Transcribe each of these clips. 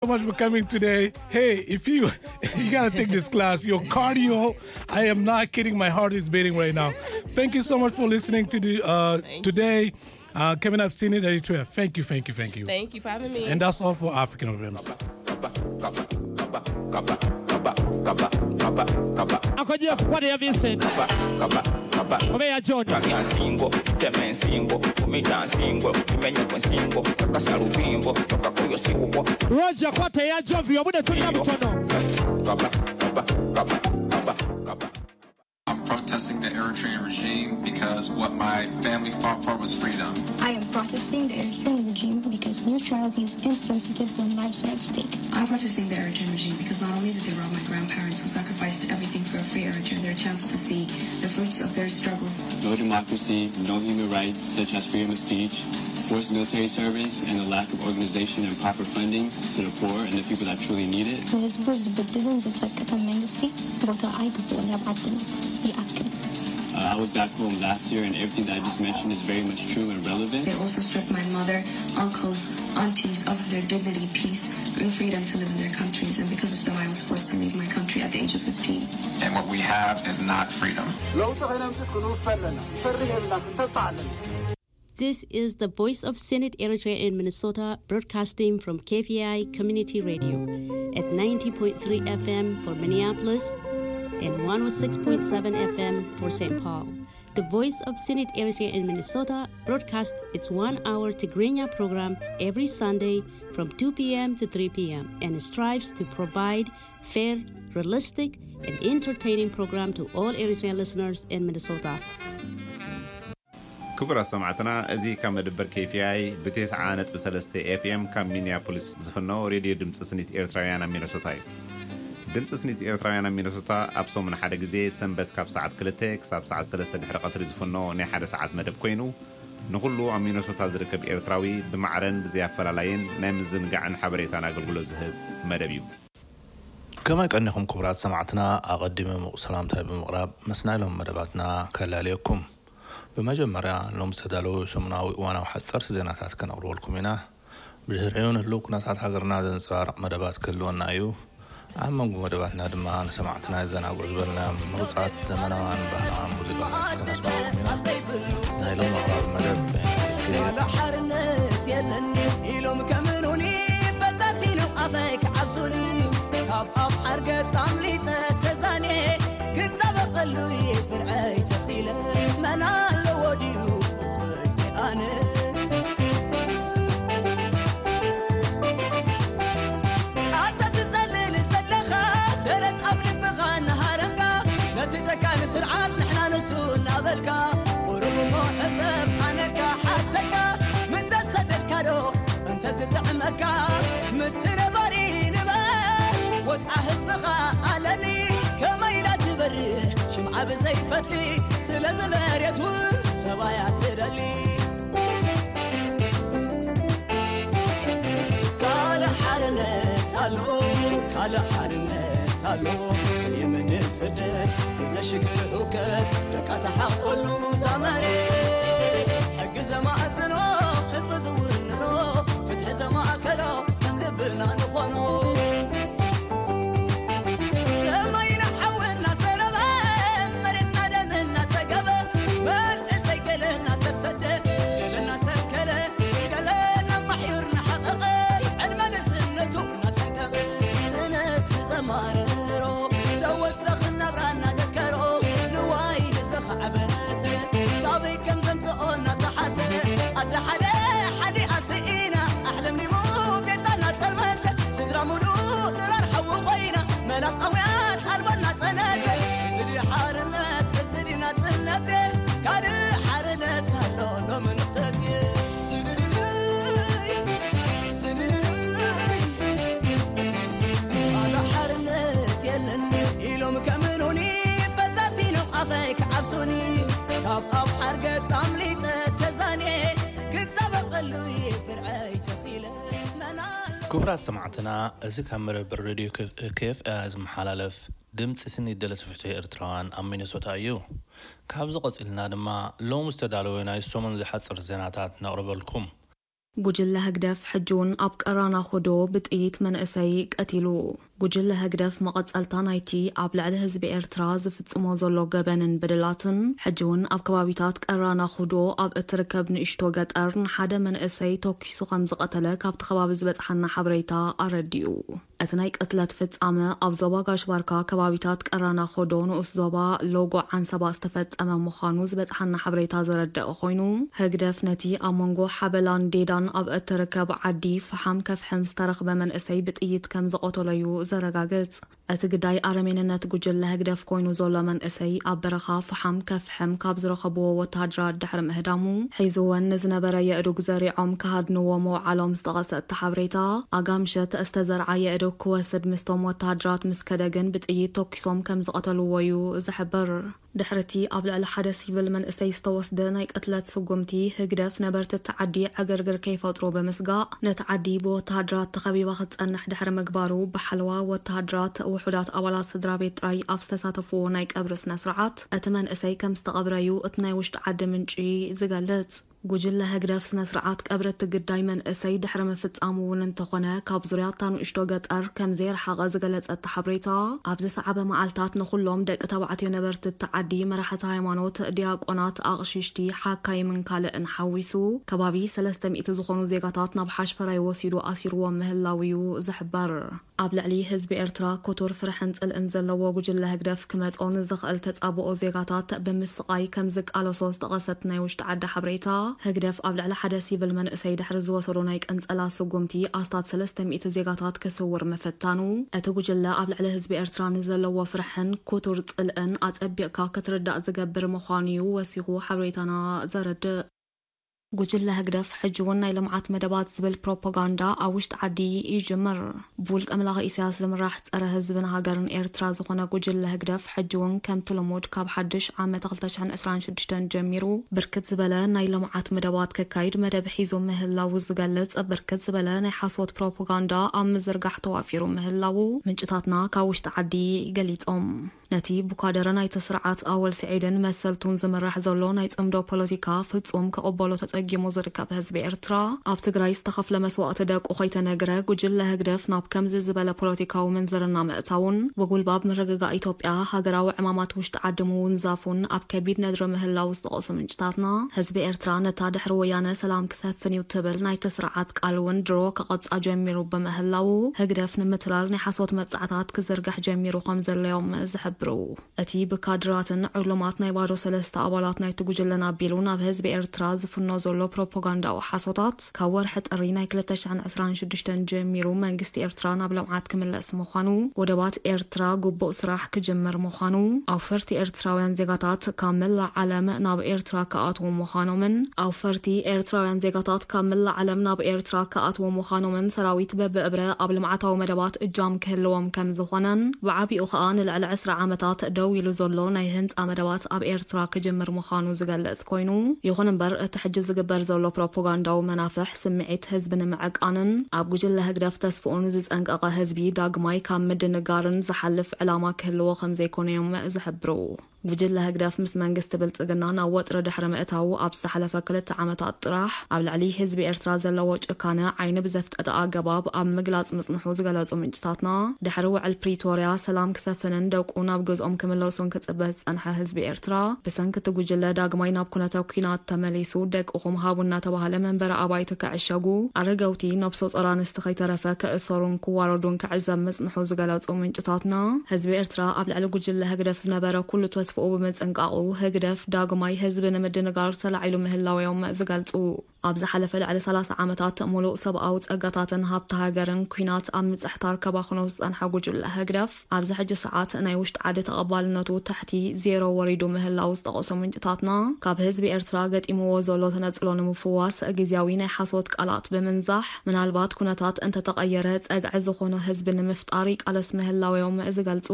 so much for coming today. Hey, if you you gotta take this class, your cardio, I am not kidding. My heart is beating right now. Thank you so much for listening to the uh, today. Uh, coming up, Scene It Eritrea. Thank you, thank you, thank you. Thank you for having me. And that's all for African Rhythms. Ako Jeff, kwani ya Vincent? Obeya John. Kami nsingo, teme nsingo, fumita nsingo, kimenye kwa nsingo, kakasa lupimbo, kakakuyo siwo. Roger, kwate ya Jovi, obude tulina butono. I'm protesting the Eritrean regime because what my family fought for was freedom. I am protesting the Eritrean regime because neutrality is insensitive when lives are at stake. I'm protesting the Eritrean regime because not only did they rob my grandparents who sacrificed everything for a free Eritrea their chance to see the fruits of their struggles. No democracy, no human rights such as freedom of speech, forced military service, and the lack of organization and proper fundings to the poor and the people that truly need it. ንህዝቡ ዝብድልን ዝጸቅጥን መንግስቲ ቦታ ኣይግብኦን ኣብ ዓድና። ይኣክል። Uh, I was back home last year, and everything that I just mentioned is very much true and relevant. They also stripped my mother, uncles, aunties of their dignity, peace, and freedom to live in their countries, and because of them, I was forced to leave my country at the age of fifteen. And what we have is not freedom. ለውጢ ከነምፅእ ክንውፍ ኣለና። ፈርህ የብልና፣ ክንተብዕ ኣለና። This is the Voice of Senate Eritrea in Minnesota, broadcasting from K V I Community Radio at ninety point three F M for Minneapolis and one oh six point seven F M for Saint Paul. The Voice of Senate Eritrea in Minnesota broadcaast its one-hour Tigrinya program every Sunday from two p.m. to three p.m. and strives to provide fair, realistic, and entertaining program to all Eritrean listeners in Minnesota. ክቡራት ሰማዕትና፣ እዚ ካብ መደበር K V I ብ ተስዓ ነጥቢ ሰለስተ F M ካብ ሚኒያፖሊስ ዝፍኖ ሬድዮ ድምፂ ስኒት ኤርትራውያን ኣብ ሚነሶታ እዩ። ድምፂ ስኒት ኤርትራውያን ኣብ ሚነሶታ ኣብ ሰሙን ሓደ ግዜ ሰንበት ካብ ሰዓት ክልተ ክሳብ ሰዓት ሰለስተ ድሕሪ ቀትሪ ዝፍኖ ናይ ሓደ ሰዓት መደብ ኮይኑ፣ ንኹሉ ኣብ ሚነሶታ ዝርከብ ኤርትራዊ ብማዕረን ብዘይ ኣፈላላይን ናይ ምዝንጋዕን ሓበሬታን ኣገልግሎት ዝህብ መደብ እዩ። ከመይ ቀኒኹም ክቡራት ሰማዕትና? ኣቐዲመ ምቑ ሰላምታይ ብምቕራብ ምስ ናይ ሎም መደባትና ከላልየኩም። ብመጀመርያ ሎም ዝተዳለዉ ሰሙናዊ እዋናዊ ሓጸርቲ ዜናታት ከነቕርበልኩም ኢና። ብድሕሪኡ ንህልው ኩነታት ሃገርና ዘንጸባርቕ መደባት ክህልወና እዩ። ኣብ መንጎ መደባትና ድማ ንሰማዕትና የዘናግዑ ዝበልናዮም ምሩጻት ዘመናውያን ባህላውያን ሙዚቃታት ከነስምዓኩም ኢና። ናይ ሎም ኣቕራቢ መደብ በይናት ይክል እዩ። ሓርነት የለን ኢሎም ከምኑኒ ፈታቲኖም ኣፈይ ክዓብሱኒ ካብ ኣብ ሓርገጽ ኣምሊጠ ተዛንየ ክጣበቐሉ ብርዐይ ተኺለ መን ኣለዎ ድዩ ዝወፅእ ኣነ ኣታ ትጸልል ዘለኻ ደረት ኣብ ልብኻ እናሃረምካ ነቲ ጨካን ስርዓት ንሕና ንሱ እናበልካ ቁሩብ እሞ ሕሰብ ኣነካ ሓተካ ምተሰደድካ ዶ እንተዝጥዕመካ ምስቲ ነባሪ ንበር ወፅዓ ህዝብኻ ኣለሊ ከመይ ኢላ ትበርህ ሽምዓ ብዘይፈትሊ ስለዚ መሬት እውን ሰባያ ትደሊ ካልእ ሓርነት ኣሎ ካልእ ሓርነት ኣሎ የመን ስደት ዘሽግር ህውከት ደቃ ተሓቆሉ ዛመሬት ሕጊ ዘማእዝኖ ህዝቢ ዝውንኖ ፍትሒ ዘማእከሎ ከም ልብና ንኾኖ ሰማይና ሓዊ እናሰረበ መሬትና ደም እናጸገበ መንእሰይ ገለ እናተሰደ ገለ እናሰንከለ ገለ እናማሕዩር እናሓቐቐ ዕድመ ንእስነቱ እናጸቀቐ ስነት ዘማርሮ ተወሰኽ ናብራ እናደከሮ ንዋይ ንዝኸዕበት ካበይ ከም ዘምጽኦ እናተሓተ ኣደ ሓደ ሓደ ኣስኢና ኣሕለምሊሙ ቤታና ጸልመተ ስድራ ሙሉእ ድራር ሓዊ ኮይና መላስ ኣውያት ኣልቦና ጸነተ እዚ ድዩ ሓርነት እዚ ድዩ ናጽነት ካልእ ሓርነት ኣሎ ሎሚ ንኽተት ካልእ ሓርነት የለን ኢሎም ከምኑኒ ፈታቲኖም ኣፈይ ክዓብሱኒ ካብ ኣብ ሓርገጽ ኣምሊጠ ተዛንየ ክጣበቐሉ ብርዐይ ተኺለ መናሎ ክቡራት ሰማዕትና፣ እዚ ካብ መደበር ሬድዮ K F I ዝመሓላለፍ ድምፂ ስኒት ደለቲ ፍትሒ ኤርትራውያን ኣብ ሚነሶታ እዩ። ካብዚ ቀፂልና ድማ ሎም ዝተዳለወ ናይ ሰሙን ዝሓፅር ዜናታት ነቕርበልኩም። ጉጅለ ህግደፍ ሕጂ እውን ኣብ ቀራና ኹዶ ብጥይት መንእሰይ ቀቲሉ። ጉጅለ ህግደፍ መቐጸልታ ናይቲ ኣብ ልዕሊ ህዝቢ ኤርትራ ዝፍጽሞ ዘሎ ገበንን በደላትን፣ ሕጂ እውን ኣብ ከባቢታት ቀራና ኹዶ ኣብ እትርከብ ንእሽቶ ገጠር ንሓደ መንእሰይ ተኲሱ ከም ዝቐተለ ካብቲ ከባቢ ዝበጽሓና ሓበሬታ ኣረዲኡ። እቲ ናይ ቅትለት ፍጻመ ኣብ ዞባ ጋሽ ባርካ ከባቢታት ቀራና ኾዶ ንኡስ ዞባ ሎጎ ዓንሰባ ዝተፈጸመ ምዃኑ ዝበጽሓና ሓበሬታ ዘረደአ ኮይኑ፣ ህግደፍ ነቲ ኣብ መንጎ ሓበላን ዴዳን ኣብ እትርከብ ዓዲ ፈሓም ከፍሕም ዝተረኽበ መንእሰይ ብጥይት ከም ዝቐተሎ'ዩ ዘረጋግጽ። እቲ ግዳይ ኣረሜንነት ጉጅለ ህግደፍ ኮይኑ ዘሎ መንእሰይ ኣብ በረኻ ፈሓም ከፍሕም ካብ ዝረኸብዎ ወተሃደራት ድሕሪ ምህዳሙ፣ ሒዝወን ንዝነበረ የእዱግ ዘሪዖም ክሃድንዎ ምውዓሎም ዝጠቐሰ እቲ ሓበሬታ፣ ኣጋ ምሸት ዝተዘርዓ የእዱግ ክወስድ ምስቶም ወተሃደራት ምስ ከደ ግን ብጥይት ተኲሶም ከም ዝቐተልዎ'ዩ ዝሕብር። ድሕሪ'ቲ ኣብ ልዕሊ ሓደ ሲቪል መንእሰይ ዝተወስደ ናይ ቅትለት ስጉምቲ፣ ህግደፍ ነበርቲ እቲ ዓዲ ዕግርግር ከይፈጥሩ ብምስጋእ፣ ነቲ ዓዲ ብወተሃደራት ተኸቢባ ክትጸንሕ ድሕሪ ምግባሩ፣ ብሓለዋ ወተሃደራት ውሑዳት ኣባላት ስድራ ቤት ጥራይ ኣብ ዝተሳተፍዎ ናይ ቀብሪ ስነ ስርዓት፣ እቲ መንእሰይ ከም ዝተቐብረ'ዩ እቲ ናይ ውሽጢ ዓዲ ምንጪ ዝገልጽ። ጉጅለ ህግደፍ ስነ ስርዓት ቀብሪ እቲ ግዳይ መንእሰይ ድሕሪ ምፍጻሙ እውን እንተኾነ፣ ካብ ዙርያ እታ ንእሽቶ ገጠር ከም ዘይረሓቐ ዝገለጸ እቲ ሓበሬታ፣ ኣብ ዝሰዓበ መዓልታት ንኹሎም ደቂ ተባዕትዮ ነበርቲ እቲ ዓዲ፣ መራሕቲ ሃይማኖት፣ ዲያቆናት፣ ኣቕሽሽቲ፣ ሓካይምን ካልእን ሓዊሱ፣ ከባቢ ሰለስተ ሚእቲ ዝኾኑ ዜጋታት ናብ ሓሽፈራይ ወሲዱ ኣሲርዎም ምህላው'ዩ ዝሕበር። ኣብ ልዕሊ ህዝቢ ኤርትራ ክቱር ፍርሕን ጽልእን ዘለዎ ጉጅለ ህግደፍ ክመጾ ንዝኽእል ተጻብኦ ዜጋታት ብምስቓይ ከም ዝቃለሶ ዝጠቐሰት ናይ ውሽጢ ዓዲ ሓበሬታ፣ ህግደፍ ኣብ ልዕሊ ሓደ ሲቪል መንእሰይ ድሕሪ ዝወሰዶ ናይ ቅንጸላ ስጉምቲ ኣስታት ሰለስተ ሚእቲ ዜጋታት ክስውር ምፍታኑ፣ እቲ ጉጅለ ኣብ ልዕሊ ህዝቢ ኤርትራ ንዘለዎ ፍርሕን ክቱር ጽልእን ኣጸቢቕካ ክትርዳእ ዝገብር ምዃኑ'ዩ ወሲኹ ሓበሬታና ዘረድእ። ጉጅለ ህግደፍ ሕጂ እውን ናይ ልምዓት መደባት ዝብል ፕሮፓጋንዳ ኣብ ውሽጢ ዓዲ ይጅምር። ብውልቀ መላኺ ኢሳያስ ዝምራሕ ጸረ ህዝብን ሃገርን ኤርትራ ዝኾነ ጉጅለ ህግደፍ ሕጂ እውን ከምቲ ልሙድ ካብ ሓድሽ ዓመተ ክልተ ሽሕን ዕስራን ሽዱሽተን ጀሚሩ ብርክት ዝበለ ናይ ልምዓት መደባት ከካይድ መደብ ሒዙ ምህላዉ ዝገልጽ ብርክት ዝበለ ናይ ሓሶት ፕሮፓጋንዳ ኣብ ምዝርጋሕ ተዋፊሩ ምህላዉ ምንጭታትና ካብ ውሽጢ ዓዲ ገሊጾም። ነቲ ብኳደረ ናይቲ ስርዓት ኣወል ስዒድን መሰልቱን ዝምራሕ ዘሎ ናይ ጽምዶ ፖለቲካ ፍጹም ክቕበሎ ተጸጊሙ ዝርከብ ህዝቢ ኤርትራ፣ ኣብ ትግራይ ዝተኸፍለ መስዋእቲ ደቁ ከይተነግረ፣ ጉጅለ ህግደፍ ናብ ከምዚ ዝበለ ፖለቲካዊ ምንዝርና ምእታውን፣ ብጉልባብ ምርግጋእ ኢትዮጵያ፣ ሃገራዊ ዕማማት ውሽጢ ዓዲ ምውንዛፉን፣ ኣብ ከቢድ ነድሪ ምህላው ዝጠቐሱ ምንጭታትና፣ ህዝቢ ኤርትራ ነታ ድሕሪ ወያነ ሰላም ክሰፍን እዩ ትብል ናይቲ ስርዓት ቃል እውን ድሮ ክቐብጻ ጀሚሩ ብምህላው፣ ህግደፍ ንምትላል ናይ ሓሶት መብጻዕታት ክዝርግሕ ጀሚሩ ከም ዘለዮም ዝሕብሩ። እቲ ብካድራትን ዕሉማት ናይ ባዶ ሰለስተ ኣባላት ናይቲ ጉጅለን ኣቢሉ ናብ ህዝቢ ኤርትራ ዝፍኖ ዘሎ ፕሮፓጋንዳዊ ሓሶታት፣ ካብ ወርሒ ጥሪ ናይ ክልተ ሽሕን ዕስራን ሽዱሽተን ጀሚሩ መንግስቲ ኤርትራ ናብ ልምዓት ክምለስ ምዃኑ፣ ወደባት ኤርትራ ግቡእ ስራሕ ክጅምር ምዃኑ፣ ኣውፈርቲ ኤርትራውያን ዜጋታት ካብ መላእ ዓለም ናብ ኤርትራ ክኣትዉ ምዃኖምን፣ ኣውፈርቲ ኤርትራውያን ዜጋታት ካብ መላእ ዓለም ናብ ኤርትራ ክኣትዉ ምዃኖምን፣ ሰራዊት በብእብረ ኣብ ልምዓታዊ መደባት እጃም ክህልዎም ከም ዝኾነን፣ ብዓቢኡ ከኣ ንልዕሊ ዕስራ ዓመታት ደው ኢሉ ዘሎ ናይ ህንጻ መደባት ኣብ ኤርትራ ክጅምር ምዃኑ ዝገልጽ ኮይኑ፣ ይኹን እምበር እቲ ሕጂ ዝግበር ዘሎ ፕሮፓጋንዳዊ መናፍሕ ስምዒት ህዝቢ ንምዕቃንን ኣብ ጉጅለ ህግደፍ ተስፍኡን ዝጸንቀቐ ህዝቢ ዳግማይ ካብ ምድንጋርን ዝሓልፍ ዕላማ ክህልዎ ከም ዘይኮነ እዮም ዝሕብሩ። ጉጅለ ህግደፍ ምስ መንግስቲ ብልጽግና ናብ ወጥሪ ድሕሪ ምእታዉ ኣብ ዝሓለፈ ክልተ ዓመታት ጥራሕ ኣብ ልዕሊ ህዝቢ ኤርትራ ዘለዎ ጭካነ ዓይኒ ብዘፍጠጠ ኣገባብ ኣብ ምግላጽ ምጽንሑ ዝገለጹ ምንጭታትና፣ ድሕሪ ውዕል ፕሪቶርያ ሰላም ክሰፍንን ደቁ ናብ ገዝኦም ክምለሱን ክጽበ ዝጸንሐ ህዝቢ ኤርትራ፣ ብሰንኪ እቲ ጉጅለ ዳግማይ ናብ ኩነተ ኲናት ተመሊሱ፣ ደቅኹም ሃቡ እናተባህለ መንበሪ ኣባይቲ ክዕሸጉ፣ ኣረገውቲ፣ ነብሰ ጾር ኣንስቲ ከይተረፈ ክእሰሩን ክዋረዱን ክዕዘብ ምጽንሑ ዝገለጹ ምንጭታትና፣ ህዝቢ ኤርትራ ኣብ ልዕሊ ጉጅለ ህግደፍ ዝነበረ ኩሉ ተስፍኡ ብምጽንቃቑ፣ ህግደፍ ዳግማይ ህዝቢ ንምድንጋር ተላዒሉ ምህላው እዮም ዝገልጹ። ኣብ ዝሓለፈ ልዕሊ ሰላሳ ዓመታት፣ ምሉእ ሰብኣዊ ጸጋታትን ሃብቲ ሃገርን ኲናት ኣብ ምጽሕታር ከባኽኖ ዝጸንሐ ጉጅለ ህግደፍ፣ ኣብዚ ሕጂ ሰዓት ናይ ውሽጢ ዓዲ ተቐባልነቱ ትሕቲ ዜሮ ወሪዱ ምህላው ዝጠቐሱ ምንጭታትና፣ ካብ ህዝቢ ኤርትራ ገጢምዎ ዘሎ ተነጽሎ ንምፍዋስ፣ ግዝያዊ ናይ ሓሶት ቃላት ብምንዛሕ፣ ምናልባት ኩነታት እንተተቐየረ፣ ጸግዒ ዝኾኖ ህዝቢ ንምፍጣር ይቃለስ ምህላው እዮም ዝገልጹ።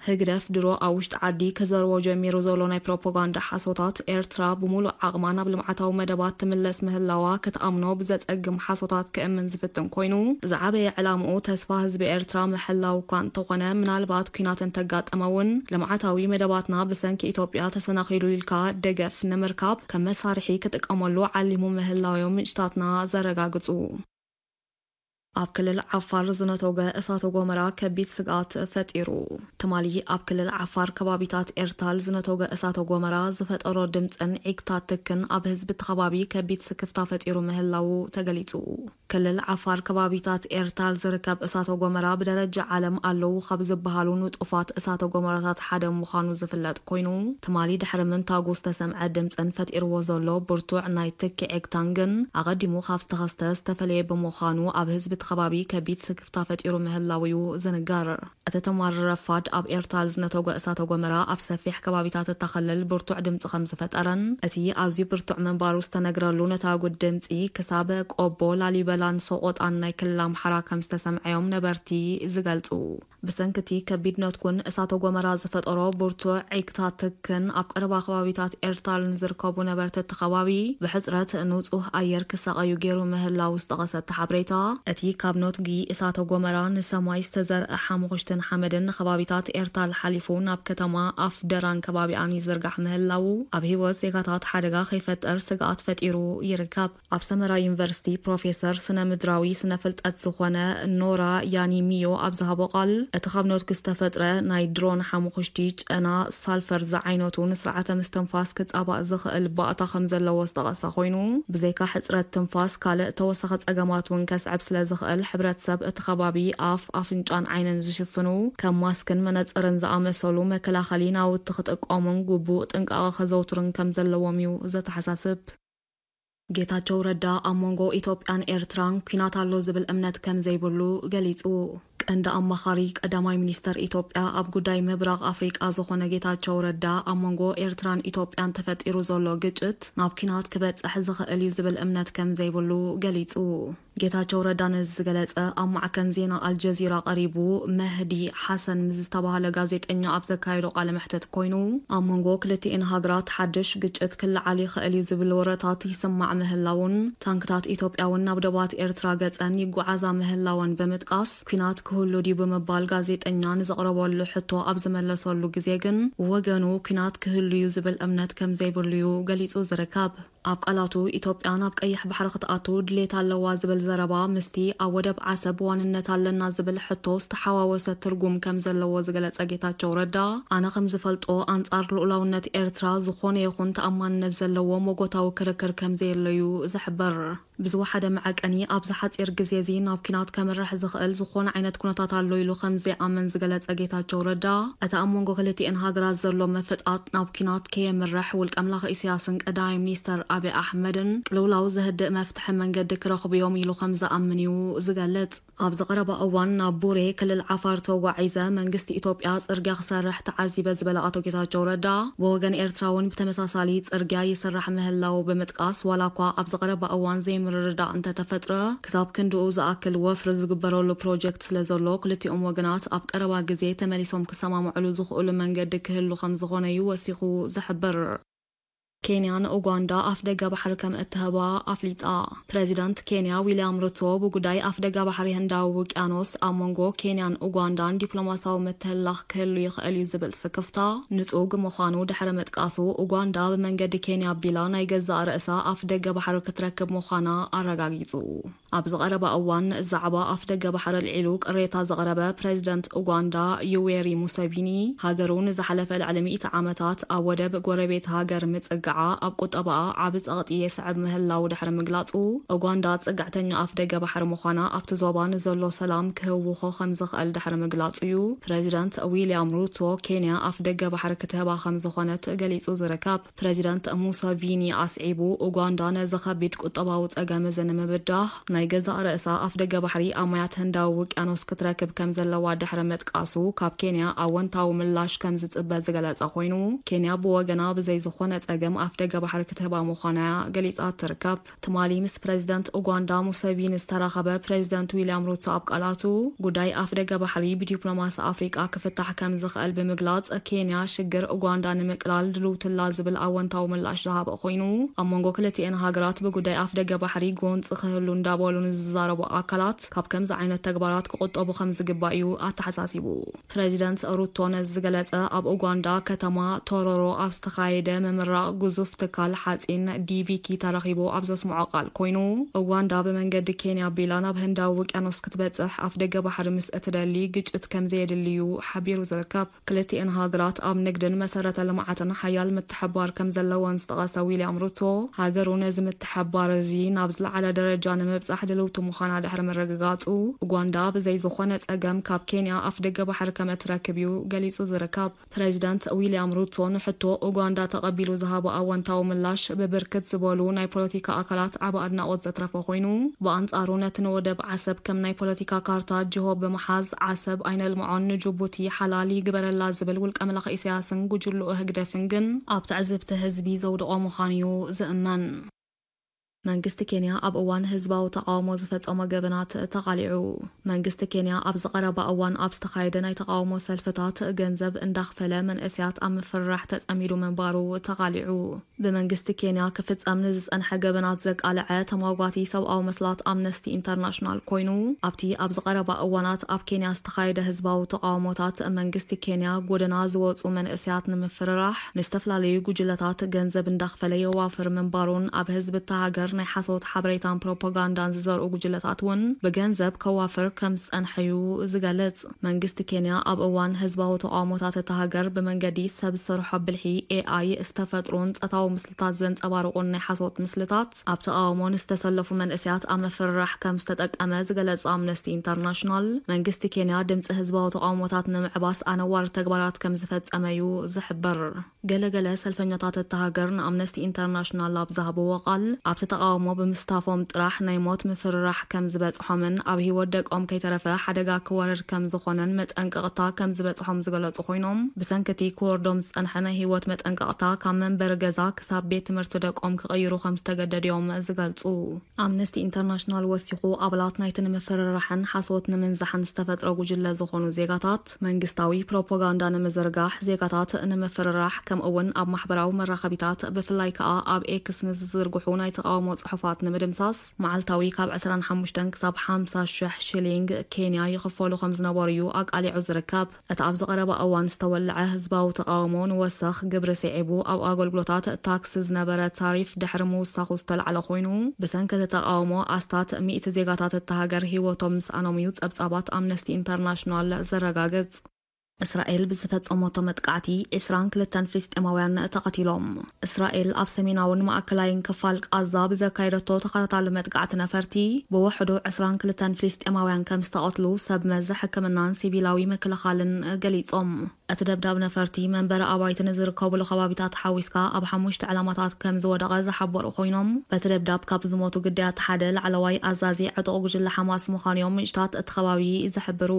ህግደፍ ድሮ ኣብ ውሽጢ ዓዲ ክዘርዎ ጀሚሩ ዘሎ ናይ ፕሮፓጋንዳ ሓሶታት፣ ኤርትራ ብምሉእ ዓቕማ ናብ ልምዓታዊ መደባት ትምለስ ምህላው ኣዋ ክትኣምኖ ብዘጸግም ሓሶታት ክእምን ዝፍትን ኮይኑ፣ ዝዓበየ ዕላምኡ ተስፋ ህዝቢ ኤርትራ ምሕላው እኳ እንተኾነ፣ ምናልባት ኲናት እንተጋጠመ እውን ልምዓታዊ መደባትና ብሰንኪ ኢትዮጵያ ተሰናኺሉ ኢልካ ደገፍ ንምርካብ ከም መሳርሒ ክጥቀመሉ ዓሊሙ ምህላው እዮም ምንጭታትና ዘረጋግጹ። ኣብ ክልል ዓፋር ዝነቶገ እሳተ ጎመራ ከቢድ ስግኣት ፈጢሩ። ትማሊ ኣብ ክልል ዓፋር ከባቢታት ኤርታል ዝነቶገ እሳተ ጎመራ ዝፈጠሮ ድምፅን ዒግታት ትክን ኣብ ህዝቢ እቲ ከባቢ ከቢድ ስክፍታ ፈጢሩ ምህላዉ ተገሊፁ። ክልል ዓፋር ከባቢታት ኤርታል ዝርከብ እሳተ ጎመራ ብደረጃ ዓለም ኣለዉ ካብ ዝበሃሉ ንጡፋት እሳተ ጎመራታት ሓደ ምዃኑ ዝፍለጥ ኮይኑ፣ ትማሊ ድሕሪ ምንታጉ ዝተሰምዐ ድምፅን ፈጢርዎ ዘሎ ብርቱዕ ናይ ትኪ ዒግታን ግን ኣቐዲሙ ካብ ዝተኸስተ ዝተፈለየ ብምዃኑ ኣብ ህዝቢ እቲ ከባቢ ከቢድ ስክፍታ ፈጢሩ ምህላው እዩ ዝንገር። እቲ ትማሊ ረፋድ ኣብ ኤርታል ዝነተጎ እሳተ ጎመራ ኣብ ሰፊሕ ከባቢታት እታ ክልል ብርቱዕ ድምፂ ከም ዝፈጠረን እቲ ኣዝዩ ብርቱዕ ምንባሩ ዝተነግረሉ ነታጉ ድምፂ ክሳብ ቆቦ፣ ላሊበላን ሰቆጣን ናይ ክልል ኣምሓራ ከም ዝተሰምዐዮም ነበርቲ ዝገልፁ። ብሰንኪ እቲ ከቢድ ነትጉን እሳተ ጎመራ ዝፈጠሮ ብርቱዕ ዒግታት ትክን ኣብ ቀረባ ከባቢታት ኤርታል ንዝርከቡ ነበርቲ እቲ ከባቢ ብሕጽረት ንጹህ ኣየር ክሳቐዩ ገይሩ ምህላው ዝጠቐሰ እቲ ሓበሬታ፣ እቲ ካብ ነትጒ እሳተ ጎመራ ንሰማይ ዝተዘርአ ሓሙኽሽትን ሓመድን ንከባቢታት ኤርታል ሓሊፉ ናብ ከተማ ኣፍ ደራን ከባቢኣን ይዝርጋሕ ምህላው ኣብ ህይወት ዜጋታት ሓደጋ ከይፈጥር ስግኣት ፈጢሩ ይርከብ። ኣብ ሰመራ ዩኒቨርሲቲ ፕሮፌሰር ስነ ምድራዊ ስነ ፍልጠት ዝኾነ ኖራ ያኒሚዮ ኣብ ዝሃቦ ቃል፣ እቲ ካብ ነትጉ ዝተፈጥረ ናይ ድሮን ሓሙኽሽቲ ጨና ሳልፈር ዝዓይነቱ ንስርዓተ ምስትንፋስ ክጻባእ ዝኽእል ባእታ ከም ዘለዎ ዝጠቐሰ ኮይኑ፣ ብዘይካ ሕጽረት ትንፋስ ካልእ ተወሳኺ ጸገማት እውን ከስዕብ ስለ ዝኽእል ሕብረተሰብ እቲ ከባቢ ኣፍ፣ ኣፍንጫን ዓይንን ዝሽፍኑ ከም ማስክን መነጽርን ዝኣመሰሉ መከላኸሊ ናውቲ ክጥቀሙን ግቡእ ጥንቃቐ ከዘውትሩን ከም ዘለዎም እዩ ዘተሓሳስብ። ጌታቸው ረዳ ኣብ መንጎ ኢትዮጵያን ኤርትራን ኲናት ኣሎ ዝብል እምነት ከም ዘይብሉ ገሊጹ። ቀንዲ ኣማኻሪ ቀዳማይ ሚኒስተር ኢትዮጵያ ኣብ ጉዳይ ምብራቕ ኣፍሪቃ ዝኾነ ጌታቸው ረዳ ኣብ መንጎ ኤርትራን ኢትዮጵያን ተፈጢሩ ዘሎ ግጭት ናብ ኲናት ክበጽሕ ዝኽእል እዩ ዝብል እምነት ከም ዘይብሉ ገሊጹ። ጌታቸው ረዳ ነዚ ዝገለጸ ኣብ ማዕከን ዜና ኣልጀዚራ ቀሪቡ መህዲ ሓሰን ምስ ዝተባህለ ጋዜጠኛ ኣብ ዘካየዶ ቃለ መሕትት ኮይኑ፣ ኣብ መንጎ ክልቲኤን ሃገራት ሓድሽ ግጭት ክለዓል ይኽእል እዩ ዝብል ወረታት ይስማዕ ምህላውን፣ ታንክታት ኢትዮጵያ እውን ናብ ዶባት ኤርትራ ገጸን ይጓዓዛ ምህላወን ብምጥቃስ፣ ኲናት ክህሉ ድዩ ብምባል ጋዜጠኛ ንዘቕረበሉ ሕቶ ኣብ ዝመለሰሉ ግዜ ግን፣ ወገኑ ኲናት ክህሉ እዩ ዝብል እምነት ከም ዘይብሉ እዩ ገሊጹ ዝርከብ። ኣብ ቃላቱ፣ ኢትዮጵያ ናብ ቀይሕ ባሕሪ ክትኣቱ ድሌት ኣለዋ ዝብል ዘረባ ምስቲ ኣብ ወደብ ዓሰብ ዋንነት ኣለና ዝብል ሕቶ ዝተሓዋወሰ ትርጉም ከም ዘለዎ ዝገለጸ ጌታቸው ረዳ፣ ኣነ ከም ዝፈልጦ ኣንጻር ልኡላውነት ኤርትራ ዝኾነ ይኹን ተኣማንነት ዘለዎ መጎታዊ ክርክር ከም ዘየለዩ ዝሕብር። ብዝወሓደ መዐቀኒ ኣብዚ ሓጺር ግዜ እዚ ናብ ኲናት ከምርሕ ዝኽእል ዝኾነ ዓይነት ኩነታት ኣሎ ኢሉ ከም ዘይኣምን ዝገለጸ ጌታቸው ረዳ፣ እቲ ኣብ መንጎ ክልቲኤን ሃገራት ዘሎ ምፍጣጥ ናብ ኲናት ከየምርሕ ውልቀ ኣምላኽ ኢሳያስን ቀዳማይ ሚኒስተር ኣቢ ኣሕመድን ቅልውላው ዘህድእ መፍትሒ መንገዲ ክረኽቡ እዮም ኢሉ ከም ዝኣምን እዩ ዝገልጽ። ኣብዚ ቀረባ እዋን ናብ ቡሬ ክልል ዓፋር ተጓዒዘ መንግስቲ ኢትዮጵያ ጽርግያ ክሰርሕ ተዓዚበ ዝበለ ኣቶ ጌታቸው ረዳ፣ ብወገን ኤርትራ እውን ብተመሳሳሊ ጽርግያ ይስራሕ ምህላው ብምጥቃስ፣ ዋላ እኳ ኣብዚ ቀረባ እዋን ዘይምርድዳእ እንተተፈጥረ፣ ክሳብ ክንድኡ ዝኣክል ወፍሪ ዝግበረሉ ፕሮጀክት ስለ ዘሎ፣ ክልቲኦም ወገናት ኣብ ቀረባ ግዜ ተመሊሶም ክሰማምዕሉ ዝኽእሉ መንገዲ ክህሉ ከም ዝኾነ እዩ ወሲኹ ዝሕብር። ኬንያ ንኡጋንዳ ኣፍደገ ባሕሪ ከም እትህባ ኣፍሊጣ። ፕሬዚዳንት ኬንያ ዊልያም ሩቶ ብጉዳይ ኣፍደገ ባሕሪ ህንዳዊ ውቅያኖስ ኣብ መንጎ ኬንያን ኡጋንዳን ዲፕሎማሲያዊ ምትህልላኽ ክህሉ ይኽእል እዩ ዝብል ስክፍታ ንጹግ ምዃኑ ድሕሪ ምጥቃሱ፣ ኡጋንዳ ብመንገዲ ኬንያ ኣቢላ ናይ ገዛእ ርእሳ ኣፍደገ ባሕሪ ክትረክብ ምዃና ኣረጋጊጹ። ኣብዚ ቀረባ እዋን ዛዕባ ኣፍደገ ባሕሪ ኣልዒሉ ቅሬታ ዘቕረበ ፕሬዚደንት ኡጋንዳ ዩዌሪ ሙሰቪኒ፣ ሃገሩ ንዝሓለፈ ልዕሊ ሚእቲ ዓመታት ኣብ ወደብ ጎረቤት ሃገር ምጽግዓ ኣብ ቁጠባኣ ዓቢ ጸቕጢ የስዕብ ምህላው ድሕሪ ምግላጹ፣ ኡጋንዳ ጽግዕተኛ ኣፍደገ ባሕሪ ምዃና ኣብቲ ዞባ ንዘሎ ሰላም ክህውኾ ከም ዝኽእል ድሕሪ ምግላጹ እዩ። ፕሬዚደንት ዊልያም ሩቶ ኬንያ ኣፍደገ ባሕሪ ክትህባ ከም ዝኾነት ገሊጹ ዝርከብ። ፕሬዚደንት ሙሰቪኒ ኣስዒቡ፣ ኡጋንዳ ነዚ ከቢድ ቁጠባዊ ጸገም እዚ ንምብዳህ ናይ ገዛእ ርእሳ ኣፍ ደገ ባሕሪ ኣብ ማያት ህንዳዊ ውቅያኖስ ክትረክብ ከም ዘለዋ ድሕሪ ምጥቃሱ፣ ካብ ኬንያ ኣወንታዊ ምላሽ ከም ዝጽበ ዝገለጸ ኮይኑ፣ ኬንያ ብወገና ብዘይ ዝኾነ ጸገም ኣፍ ደገ ባሕሪ ክትህባ ምዃና'ያ ገሊጻ ትርከብ። ትማሊ ምስ ፕሬዚደንት ኡጋንዳ ሙሰቪኒ ዝተራኸበ ፕሬዚደንት ዊልያም ሩቶ ኣብ ቃላቱ፣ ጉዳይ ኣፍ ደገ ባሕሪ ብዲፕሎማሲ ኣፍሪቃ ክፍታሕ ከም ዝኽእል ብምግላጽ፣ ኬንያ ሽግር ኡጋንዳ ንምቅላል ድልውትላ ዝብል ኣወንታዊ ምላሽ ዝሃበ ኮይኑ፣ ኣብ መንጎ ክልቲኤን ሃገራት ብጉዳይ ኣፍ ደገ ባሕሪ ጎንጺ ክህሉ እንዳበሉ ንዝዛረቡ ኣካላት ካብ ከምዚ ዓይነት ተግባራት ክቑጠቡ ከም ዝግባእ እዩ ኣተሓሳሲቡ። ፕሬዚደንት ሩቶ ነዚ ዝገለጸ፣ ኣብ ኡጋንዳ ከተማ ቶሮሮ ኣብ ዝተኻየደ ምምራቕ ግዙፍ ትካል ሓጺን ዲቪኪ ተረኺቡ ኣብ ዘስምዖ ቃል ኮይኑ፣ ኡጋንዳ ብመንገዲ ኬንያ ኣቢላ ናብ ህንዳዊ ውቅያኖስ ክትበጽሕ ኣፍ ደገ ባሕሪ ምስ እትደሊ ግጭት ከም ዘየድልዩ ሓቢሩ ዝርከብ። ክልቲኤን ሃገራት ኣብ ንግድን መሰረተ ልምዓትን ሓያል ምትሕብባር ከም ዘለወን ዝጠቐሰ ዊልያም ሩቶ፣ ሃገሩ ነዚ ምትሕብባር እዚ ናብ ዝለዓለ ደረጃ ንምብጻሕ ድልውቲ ምዃና ድሕሪ ምርግጋጹ፣ ኡጋንዳ ብዘይ ዝኾነ ጸገም ካብ ኬንያ ኣፍ ደገ ባሕሪ ከም እትረክብ እዩ ገሊጹ ዝርከብ። ፕሬዚዳንት ዊልያም ሩቶ ንሕቶ ኡጋንዳ ተቐቢሉ ዝሃቦ ኣወንታዊ ምላሽ ብብርክት ዝበሉ ናይ ፖለቲካ ኣካላት ዓቢ ኣድናቖት ዘትረፈ ኮይኑ፣ ብኣንጻሩ ነቲ ንወደብ ዓሰብ ከም ናይ ፖለቲካ ካርታ ጅሆ ብምሓዝ፣ ዓሰብ ኣይነልምዖን፣ ንጅቡቲ ሓላል ይግበረላ ዝብል ውልቀ መላኺ ኢሳያስን ጉጅልኡ ህግደፍን ግን ኣብ ትዕዝብቲ ህዝቢ ዘውድቖ ምዃኑ እዩ ዝእመን። መንግስቲ ኬንያ ኣብ እዋን ህዝባዊ ተቓውሞ ዝፈጸሞ ገበናት ተቓሊዑ። መንግስቲ ኬንያ ኣብዚ ቀረባ እዋን ኣብ ዝተኻየደ ናይ ተቓውሞ ሰልፍታት ገንዘብ እንዳኽፈለ መንእሰያት ኣብ ምፍርራሕ ተጸሚዱ ምንባሩ ተቓሊዑ። ብመንግስቲ ኬንያ ክፍጸም ንዝጸንሐ ገበናት ዘቃልዐ ተሟጓቲ ሰብኣዊ መስላት ኣምነስቲ ኢንተርናሽናል ኮይኑ፣ ኣብቲ ኣብዚ ቀረባ እዋናት ኣብ ኬንያ ዝተኻየደ ህዝባዊ ተቓውሞታት መንግስቲ ኬንያ ጎደና ዝወጹ መንእሰያት ንምፍርራሕ ንዝተፈላለዩ ጉጅለታት ገንዘብ እንዳኽፈለ የዋፍር ምንባሩን ኣብ ህዝቢ እታ ሃገር ናይ ሓሶት ሓበሬታን ፕሮፓጋንዳን ዝዘርኡ ጉጅለታት እውን ብገንዘብ ከዋፍር ከም ዝጸንሐ እዩ ዝገልጽ። መንግስቲ ኬንያ ኣብ እዋን ህዝባዊ ተቓውሞታት እታ ሃገር ብመንገዲ ሰብ ዝሰርሖ ብልሒ ኤ ኣይ ዝተፈጥሩን ጾታዊ ምስልታት ዘንጸባርቑን ናይ ሓሶት ምስልታት ኣብ ተቓውሞ ንዝተሰለፉ መንእሰያት ኣብ ምፍርራሕ ከም ዝተጠቀመ ዝገለጸ ኣምነስቲ ኢንተርናሽናል፣ መንግስቲ ኬንያ ድምጺ ህዝባዊ ተቓውሞታት ንምዕባስ ኣነዋሪ ተግባራት ከም ዝፈጸመ እዩ ዝሕበር። ገለገለ ሰልፈኛታት እታ ሃገር ንኣምነስቲ ኢንተርናሽናል ኣብ ዝሃብዎ ቃል፣ ኣብቲ ተቓውሞ ብምስታፎም ጥራሕ ናይ ሞት ምፍርራሕ ከም ዝበጽሖምን ኣብ ህይወት ደቆም ከይተረፈ ሓደጋ ክወርድ ከም ዝኾነን መጠንቀቕታ ከም ዝበጽሖም ዝገለጹ ኮይኖም፣ ብሰንኪ እቲ ክወርዶም ዝጸንሐ ናይ ህይወት መጠንቀቕታ ካብ መንበሪ ገዛ ክሳብ ቤት ትምህርቲ ደቆም ክቕይሩ ከም ዝተገደዱ እዮም ዝገልጹ። ኣምነስቲ ኢንተርናሽናል ወሲኹ፣ ኣባላት ናይቲ ንምፍርራሕን ሓሶት ንምንዛሕን ዝተፈጥረ ጉጅለ ዝኾኑ ዜጋታት፣ መንግስታዊ ፕሮፓጋንዳ ንምዝርጋሕ፣ ዜጋታት ንምፍርራሕ፣ ከምኡ እውን ኣብ ማሕበራዊ መራኸቢታት፣ ብፍላይ ከኣ ኣብ ኤክስ ንዝዝርግሑ ናይ ተቓውሞ ጽሑፋት ንምድምሳስ፣ መዓልታዊ ካብ ዕስራን ሓሙሽተን ክሳብ ሓምሳ ሽሕ ሽሊንግ ኬንያ ይኽፈሉ ከም ዝነበሩ እዩ ኣቃሊዑ ዝርከብ። እቲ ኣብዚ ቀረባ እዋን ዝተወልዐ ህዝባዊ ተቓውሞ ንወሰኽ ግብሪ ስዒቡ፣ ኣብ ኣገልግሎታት ታክስ ዝነበረ ታሪፍ ድሕሪ ምውሳኹ ዝተላዕለ ኮይኑ፣ ብሰንኪ እቲ ተቓውሞ ኣስታት ሚእቲ ዜጋታት እታ ሃገር ህይወቶም ምስኣኖም እዩ ጸብጻባት ኣምነስቲ ኢንተርናሽናል ዘረጋግጽ። እስራኤል ብዝፈጸመቶ መጥቃዕቲ ዕስራን ክልተን ፍልስጤማውያን ተቐቲሎም። እስራኤል ኣብ ሰሜናውን ማእከላይን ክፋል ቃዛ ብዘካየደቶ ተኸታታሊ መጥቃዕቲ ነፈርቲ፣ ብውሕዱ ዕስራን ክልተን ፍልስጤማውያን ከም ዝተቐትሉ ሰብ መዚ ሕክምናን ሲቪላዊ ምክልኻልን ገሊጾም። እቲ ደብዳብ ነፈርቲ መንበሪ ኣባይቲ ንዝርከቡሉ ከባቢታት ሓዊስካ ኣብ ሓሙሽተ ዕላማታት ከም ዝወደቐ ዝሓበሩ ኮይኖም፣ በቲ ደብዳብ ካብ ዝሞቱ ግዳያት ሓደ ላዕለዋይ ኣዛዚ ዕጡቕ ጉጅለ ሓማስ ምዃኑ እዮም ምንጭታት እቲ ከባቢ ዝሕብሩ።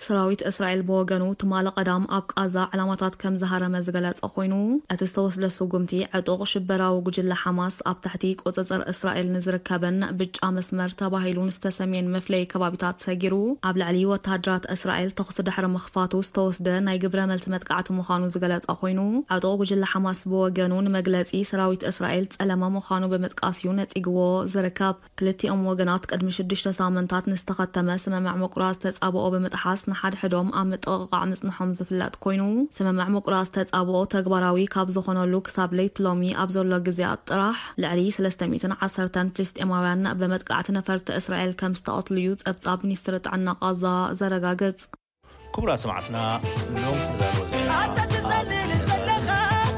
ሰራዊት እስራኤል ብወገኑ ትማሊ ቀዳም ኣብ ቃዛ ዕላማታት ከም ዝሃረመ ዝገለጸ ኮይኑ፣ እቲ ዝተወስደ ስጉምቲ ዕጡቕ ሽበራዊ ጉጅለ ሓማስ ኣብ ትሕቲ ቁጽጽር እስራኤል ንዝርከበን ብጫ መስመር ተባሂሉ ንዝተሰምየን መፍለዪ ከባቢታት ሰጊሩ ኣብ ልዕሊ ወተሃደራት እስራኤል ተኹሲ ድሕሪ ምኽፋቱ ዝተወስደ ናይ ግብረ መልሲ መጥቃዕቲ ምዃኑ ዝገለጸ ኮይኑ፣ ዕጡቕ ጉጅለ ሓማስ ብወገኑ ንመግለጺ ሰራዊት እስራኤል ጸለመ ምዃኑ ብምጥቃስ እዩ ነጺግዎ ዝርከብ። ክልቲኦም ወገናት ቅድሚ ሽዱሽተ ሳምንታት ንዝተኸተመ ስምምዕ ምቁራጽ ተጻብኦ ብምጥሓስ ንሓድሕዶም ኣብ ምጥቕቓዕ ምጽንሖም ዝፍለጥ ኮይኑ፣ ስምምዕ ምቁራጽ ተጻብኦ ተግባራዊ ካብ ዝኾነሉ ክሳብ ለይቲ ሎሚ ኣብ ዘሎ ግዜያት ጥራሕ ልዕሊ ሰለስተ ሚእትን ዓሰርተን ፍልስጤማውያን ብመጥቃዕቲ ነፈርቲ እስራኤል ከም ዝተቐትሉ እዩ ጸብጻብ ሚኒስትሪ ጥዕና ቃዛ ዘረጋግጽ። ክቡራት ሰማዕትና፣ ሎም ክዳሎ ኣታ ትጸልል ዘለኻ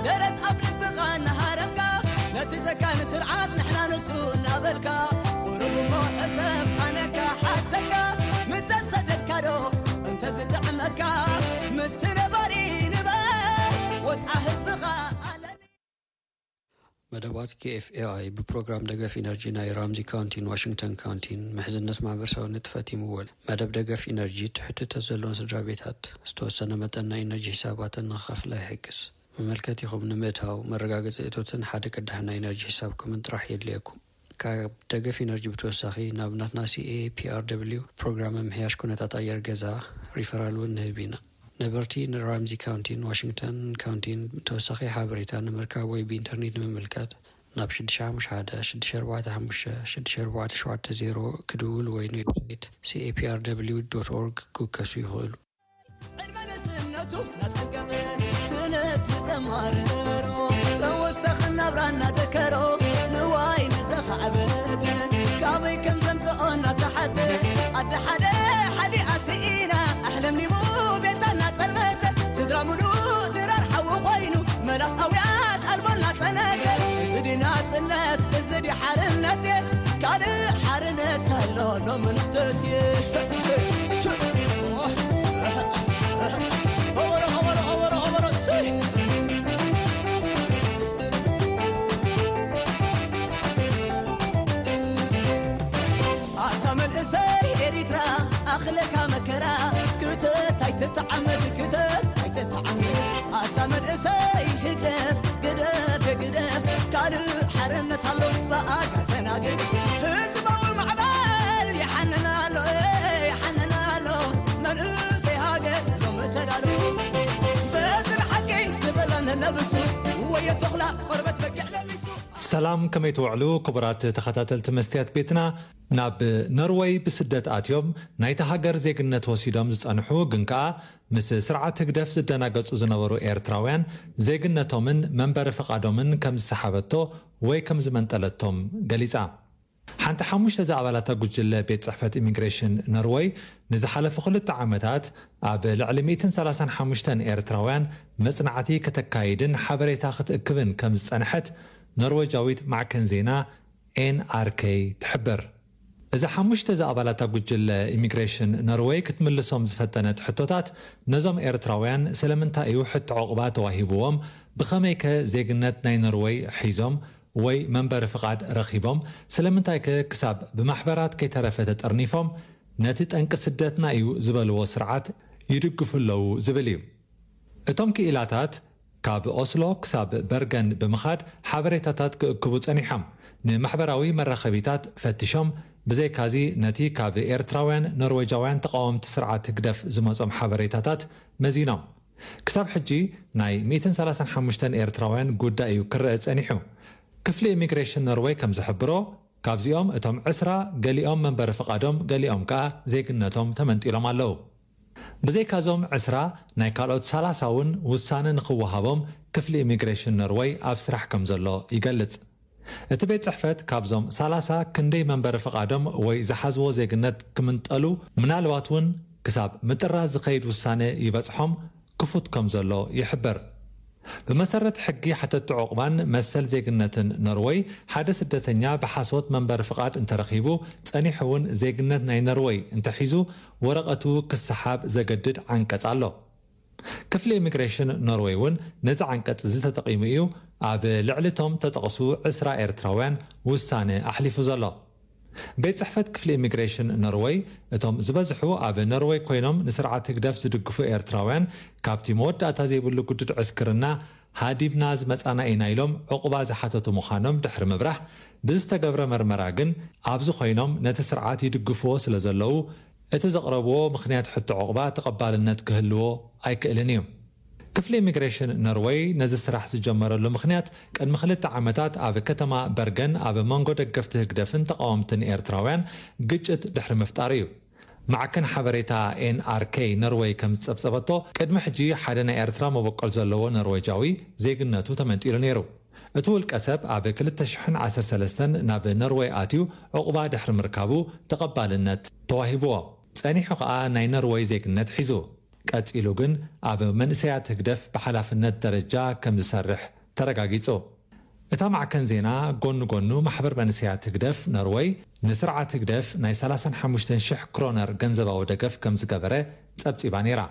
ደረት ኣብ ልብኻ እናሃረምካ፣ ነቲ ጨካን ስርዓት ንሕና ንሱ እናበልካ፣ ቁሩብ እሞ ሕሰብ ኣነካ ሓተካ፣ ምተሰደድካ ዶ እንተዝጥዕመካ፣ ምስቲ ነባሪ ንበር ወጽዓ ህዝብኻ ኣለኒ። መደባት ኬኤፍኤኣይ ብፕሮግራም ደገፍ ኢነርጂ ናይ ራምዚ ካውንቲን ዋሽንግተን ካውንቲን ምሕዝነት ማሕበረሰባዊ ንጥፈት ይምወል። መደብ ደገፍ ኢነርጂ ትሕቲ እቶት ዘለዎም ስድራ ቤታት ዝተወሰነ መጠን ናይ ኢነርጂ ሒሳባተን ንኽኸፍላ ይሕግዝ። መመልከቲኹም ንምእታው መረጋገፂ እቶትን ሓደ ቅዳሕ ናይ ኢነርጂ ሒሳብኩምን ጥራሕ የድልየኩም። ካብ ደገፍ ኢነርጂ ብተወሳኺ ናብ ናትና ሲኤፒኣርደብሊው ፕሮግራም ምምሕያሽ ኩነታት ኣየር ገዛ ሪፈራል እውን ንህብ ኢና። ነበርቲ ንራምዚ ካውንቲን ዋሽንግተን ካውንቲን ተወሳኺ ሓበሬታ ንምርካብ ወይ ብኢንተርኔት ንምምልካት ናብ ሽዱሽተ ሓሙሽተ ሓደ ሽዱሽተ ኣርባዕተ ሓሙሽተ ሽዱሽተ ኣርባዕተ ሸውዓተ ዜሮ ክድውሉ ወይ ንዌብሳይት ሲኤፒኣርደብሊው ዶት ኦርግ ክውከሱ ይኽእሉ። ዕድመ ንእስነቱ እናጸንቀቐ ስነት ንዘማርሮ ተወሳኺ ናብራ እናደከሮ ንዋይ ንዘኻዕበት ካበይ ከም ዘምጽኦ እናተሓተ ኣደ ሓደ ሓዲኣ ስኢና ኣሕለምሊሙ ቤታ እናጸልመተ ስድራ ሙሉእ ድራር ሓዊ ኮይኑ መላስ ኣውያት ኣልቦ እናጸነተ እዚ ድዩ ናጽነት እዚ ድዩ ሓርነት ካልእ ሓርነት ኣሎ ሎሚ ንኽትእትየ ኣታ መንእሰይ ኤሪትራ ኣኽለካ መከራ ክተት ኣይትተዓመት ክተት ኣይትተዓመት ኣታ መንእሰይ ህግደፍ ግደፍ የግደፍ ካልእ ሓርነት ኣሎ ብኣካ ተናገር ህዝባዊ ማዕበል ይሓንን ኣሎ ይሓንን ኣሎ መንእሰይ ሃገር ሎሚ ተዳሎ በትሪ ሓቂ ዝበለን ነብሱ ወየ ተኹላ ቆርበት በጊዕ ለሚሱ ሰላም ከመይ ትውዕሉ ክቡራት ተኸታተልቲ መስትያት ቤትና። ናብ ኖርወይ ብስደት ኣትዮም ናይታ ሃገር ዜግነት ወሲዶም ዝጸንሑ ግን ከኣ ምስ ስርዓት ህግደፍ ዝደናገጹ ዝነበሩ ኤርትራውያን ዜግነቶምን መንበሪ ፍቓዶምን ከም ዝሰሓበቶ ወይ ከም ዝመንጠለቶም ገሊጻ። ሓንቲ ሓሙሽተ ዝኣባላታ ጉጅለ ቤት ጽሕፈት ኢሚግሬሽን ኖርወይ ንዝሓለፉ ክልተ ዓመታት ኣብ ልዕሊ ሚእትን ሰላሳን ሓሙሽተን ኤርትራውያን መጽናዕቲ ከተካይድን ሓበሬታ ክትእክብን ከም ዝጸንሐት ኖርወጃዊት ማዕከን ዜና ኤንኣርኬ ትሕብር። እዛ ሓሙሽተ ዝኣባላታ ጉጅለ ኢሚግሬሽን ኖርወይ ክትምልሶም ዝፈተነት ሕቶታት ነዞም ኤርትራውያን ስለምንታይ እዩ ሕቶ ዑቕባ ተዋሂብዎም፣ ብኸመይከ ዜግነት ናይ ኖርወይ ሒዞም ወይ መንበሪ ፍቓድ ረኺቦም፣ ስለምንታይከ ክሳብ ብማሕበራት ከይተረፈ ተጠርኒፎም ነቲ ጠንቂ ስደትና እዩ ዝበልዎ ስርዓት ይድግፉ ኣለዉ ዝብል እዩ። እቶም ክኢላታት ካብ ኦስሎ ክሳብ በርገን ብምኻድ ሓበሬታታት ክእክቡ ጸኒሖም። ንማሕበራዊ መራኸቢታት ፈቲሾም፣ ብዘይካዚ ነቲ ካብ ኤርትራውያን ኖርወጃውያን ተቓወምቲ ስርዓት ህግደፍ ዝመጾም ሓበሬታታት መዚኖም። ክሳብ ሕጂ ናይ ሚእትን ሰላሳን ሓሙሽተን ኤርትራውያን ጉዳይ እዩ ክረአ ጸኒሑ። ክፍሊ ኢሚግሬሽን ኖርወይ ከም ዝሕብሮ፣ ካብዚኦም እቶም ዕስራ ገሊኦም መንበሪ ፍቓዶም ገሊኦም ከኣ ዜግነቶም ተመንጢሎም ኣለዉ። ብዘይካዞም ዕስራ ናይ ካልኦት ሰላሳ እውን ውሳነ ንኽወሃቦም ክፍሊ ኢሚግሬሽን ኖርወይ ኣብ ስራሕ ከም ዘሎ ይገልጽ። እቲ ቤት ጽሕፈት ካብዞም ሰላሳ ክንደይ መንበሪ ፍቓዶም ወይ ዝሓዝዎ ዜግነት ክምንጠሉ ምናልባት እውን ክሳብ ምጥራዝ ዝኸይድ ውሳነ ይበጽሖም ክፉት ከም ዘሎ ይሕብር። ብመሰረት ሕጊ ሓተቲ ዑቕባን መሰል ዜግነትን ኖርወይ ሓደ ስደተኛ ብሓሶት መንበሪ ፍቓድ እንተረኺቡ ጸኒሑ እውን ዜግነት ናይ ኖርወይ እንተሒዙ ወረቐቱ ክሰሓብ ዘገድድ ዓንቀጽ ኣሎ። ክፍሊ ኢሚግሬሽን ኖርወይ እውን ነዚ ዓንቀጽ እዚ ተጠቒሙ እዩ ኣብ ልዕሊ እቶም ተጠቕሱ ዕስራ ኤርትራውያን ውሳነ ኣሕሊፉ ዘሎ። ቤት ጽሕፈት ክፍሊ ኢሚግሬሽን ኖርወይ እቶም ዝበዝሑ ኣብ ኖርወይ ኮይኖም ንስርዓት ህግደፍ ዝድግፉ ኤርትራውያን ካብቲ መወዳእታ ዘይብሉ ግዱድ ዕስክርና ሃዲምና ዝመጻና ኢና ኢሎም ዕቑባ ዝሓተቱ ምዃኖም ድሕሪ ምብራህ ብዝተገብረ መርመራ ግን ኣብዚ ኮይኖም ነቲ ስርዓት ይድግፍዎ ስለ ዘለዉ እቲ ዘቕረብዎ ምኽንያት ሕቶ ዕቑባ ተቐባልነት ክህልዎ ኣይክእልን እዩ። ክፍሊ ኢሚግሬሽን ኖርወይ ነዚ ስራሕ ዝጀመረሉ ምኽንያት ቅድሚ ክልተ ዓመታት ኣብ ከተማ በርገን ኣብ መንጎ ደገፍቲ ህግደፍን ተቓወምትን ኤርትራውያን ግጭት ድሕሪ ምፍጣሩ እዩ። ማዕከን ሓበሬታ ኤንኣርኬ ኖርወይ ከም ዝጸብጸበቶ ቅድሚ ሕጂ ሓደ ናይ ኤርትራ መበቆል ዘለዎ ኖርወጃዊ ዜግነቱ ተመንጢሉ ነይሩ። እቲ ውልቀ ሰብ ኣብ ክልተ ሽሕን ዓሰርተ ሰለስተን ናብ ኖርወይ ኣትዩ ዕቑባ ድሕሪ ምርካቡ ተቐባልነት ተዋሂብዎ። ጸኒሑ ከኣ ናይ ኖርወይ ዜግነት ሒዙ። ቀጺሉ ግን ኣብ መንእሰያት ህግደፍ ብሓላፍነት ደረጃ ከም ዝሰርሕ ተረጋጊጹ። እታ ማዕከን ዜና ጎኒ ጎኑ ማሕበር መንእሰያት ህግደፍ ኖርወይ ንስርዓት ህግደፍ ናይ ሰላሳን ሓሙሽተን ሽሕ ክሮነር ገንዘባዊ ደገፍ ከም ዝገበረ ጸብጺባ ነይራ።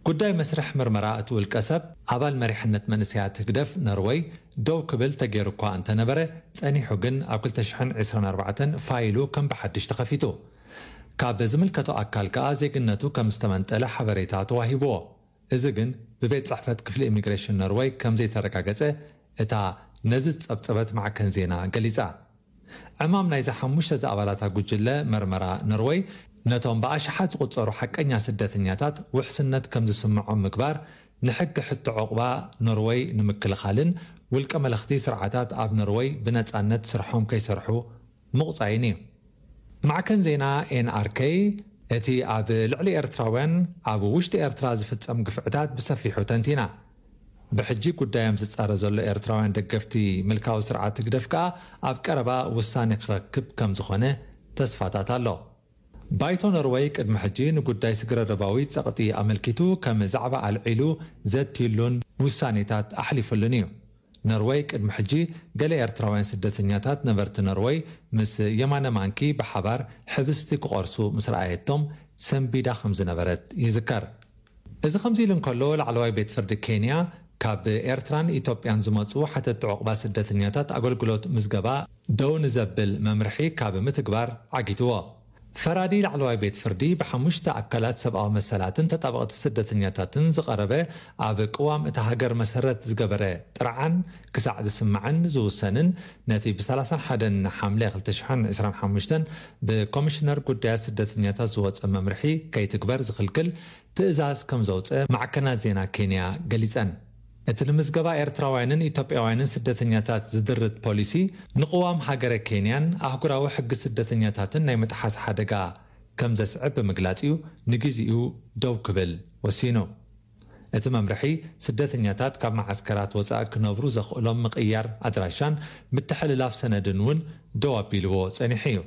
ጉዳይ መስርሕ ምርመራ እቲ ውልቀ ሰብ ኣባል መሪሕነት መንእሰያት ህግደፍ ኖርወይ ደው ክብል ተገይሩ እኳ እንተነበረ፣ ጸኒሑ ግን ኣብ ክልተ ሽሕን ዕስራን ኣርባዕተን ፋይሉ ከም ብሓድሽ ተኸፊቱ። ካብ ዝምልከቶ ኣካል ከኣ ዜግነቱ ከም ዝተመንጠለ ሓበሬታ ተዋሂብዎ። እዚ ግን ብቤት ጽሕፈት ክፍሊ ኢሚግሬሽን ኖርወይ ከም ዘይተረጋገጸ እታ ነዚ ዝጸብጸበት ማዕከን ዜና ገሊጻ። ዕማም ናይዚ ሓሙሽተ ዝኣባላታ ጉጅለ መርመራ ኖርወይ፣ ነቶም ብኣሽሓት ዝቑጸሩ ሓቀኛ ስደተኛታት ውሕስነት ከም ዝስምዖም ምግባር፣ ንሕጊ ሕቶ ዑቕባ ኖርወይ ንምክልኻልን ውልቀ መለኽቲ ስርዓታት ኣብ ኖርወይ ብነጻነት ስርሖም ከይሰርሑ ምቑጻይን እዩ። ማዕከን ዜና ኤን ኣር ከይ፣ እቲ ኣብ ልዕሊ ኤርትራውያን ኣብ ውሽጢ ኤርትራ ዝፍጸም ግፍዕታት ብሰፊሑ ተንቲና። ብሕጂ ጉዳዮም ዝጻረ ዘሎ ኤርትራውያን ደገፍቲ ምልካዊ ስርዓት ህግደፍ ከኣ ኣብ ቀረባ ውሳኔ ክረክብ ከም ዝኾነ ተስፋታት ኣሎ። ባይቶ ኖርወይ ቅድሚ ሕጂ ንጉዳይ ስግረ ዶባዊ ጸቕጢ ኣመልኪቱ ከም ዛዕባ ኣልዒሉ ዘትዩሉን ውሳኔታት ኣሕሊፉሉን እዩ። ኖርወይ ቅድሚ ሕጂ ገለ ኤርትራውያን ስደተኛታት ነበርቲ ኖርወይ ምስ የማነ ማንኪ ብሓባር ሕብስቲ ክቖርሱ ምስ ረኣየቶም ሰንቢዳ ከም ዝነበረት ይዝከር። እዚ ከምዚ ኢሉ እንከሎ፣ ላዕለዋይ ቤት ፍርዲ ኬንያ ካብ ኤርትራን ኢትዮጵያን ዝመጹ ሓተቲ ዑቕባ ስደተኛታት ኣገልግሎት ምዝገባ ደው ንዘብል መምርሒ ካብ ምትግባር ዓጊትዎ። ፈራዲ ላዕለዋይ ቤት ፍርዲ ብሓሙሽተ ኣካላት ሰብኣዊ መሰላትን ተጣበቕቲ ስደተኛታትን ዝቐረበ ኣብ ቅዋም እታ ሃገር መሰረት ዝገበረ ጥርዓን ክሳዕ ዝስማዕን ዝውሰንን ነቲ ብ ሰላሳን ሓደን ሓምለ ክልተ ሽሕን ዕስራን ሓሙሽተን ብኮሚሽነር ጉዳያት ስደተኛታት ዝወጸ መምርሒ ከይትግበር ዝኽልክል ትእዛዝ ከም ዘውጸ ማዕከናት ዜና ኬንያ ገሊጸን። እቲ ንምዝገባ ኤርትራውያንን ኢትዮጵያውያንን ስደተኛታት ዝድርት ፖሊሲ ንቅዋም ሃገረ ኬንያን ኣህጉራዊ ሕጊ ስደተኛታትን ናይ ምጥሓስ ሓደጋ ከም ዘስዕብ ብምግላጽ እዩ ንግዜኡ ደው ክብል ወሲኑ። እቲ መምርሒ ስደተኛታት ካብ መዓስከራት ወጻኢ ክነብሩ ዘኽእሎም ምቕያር ኣድራሻን ምትሕልላፍ ሰነድን እውን ደው ኣቢልዎ ጸኒሑ እዩ።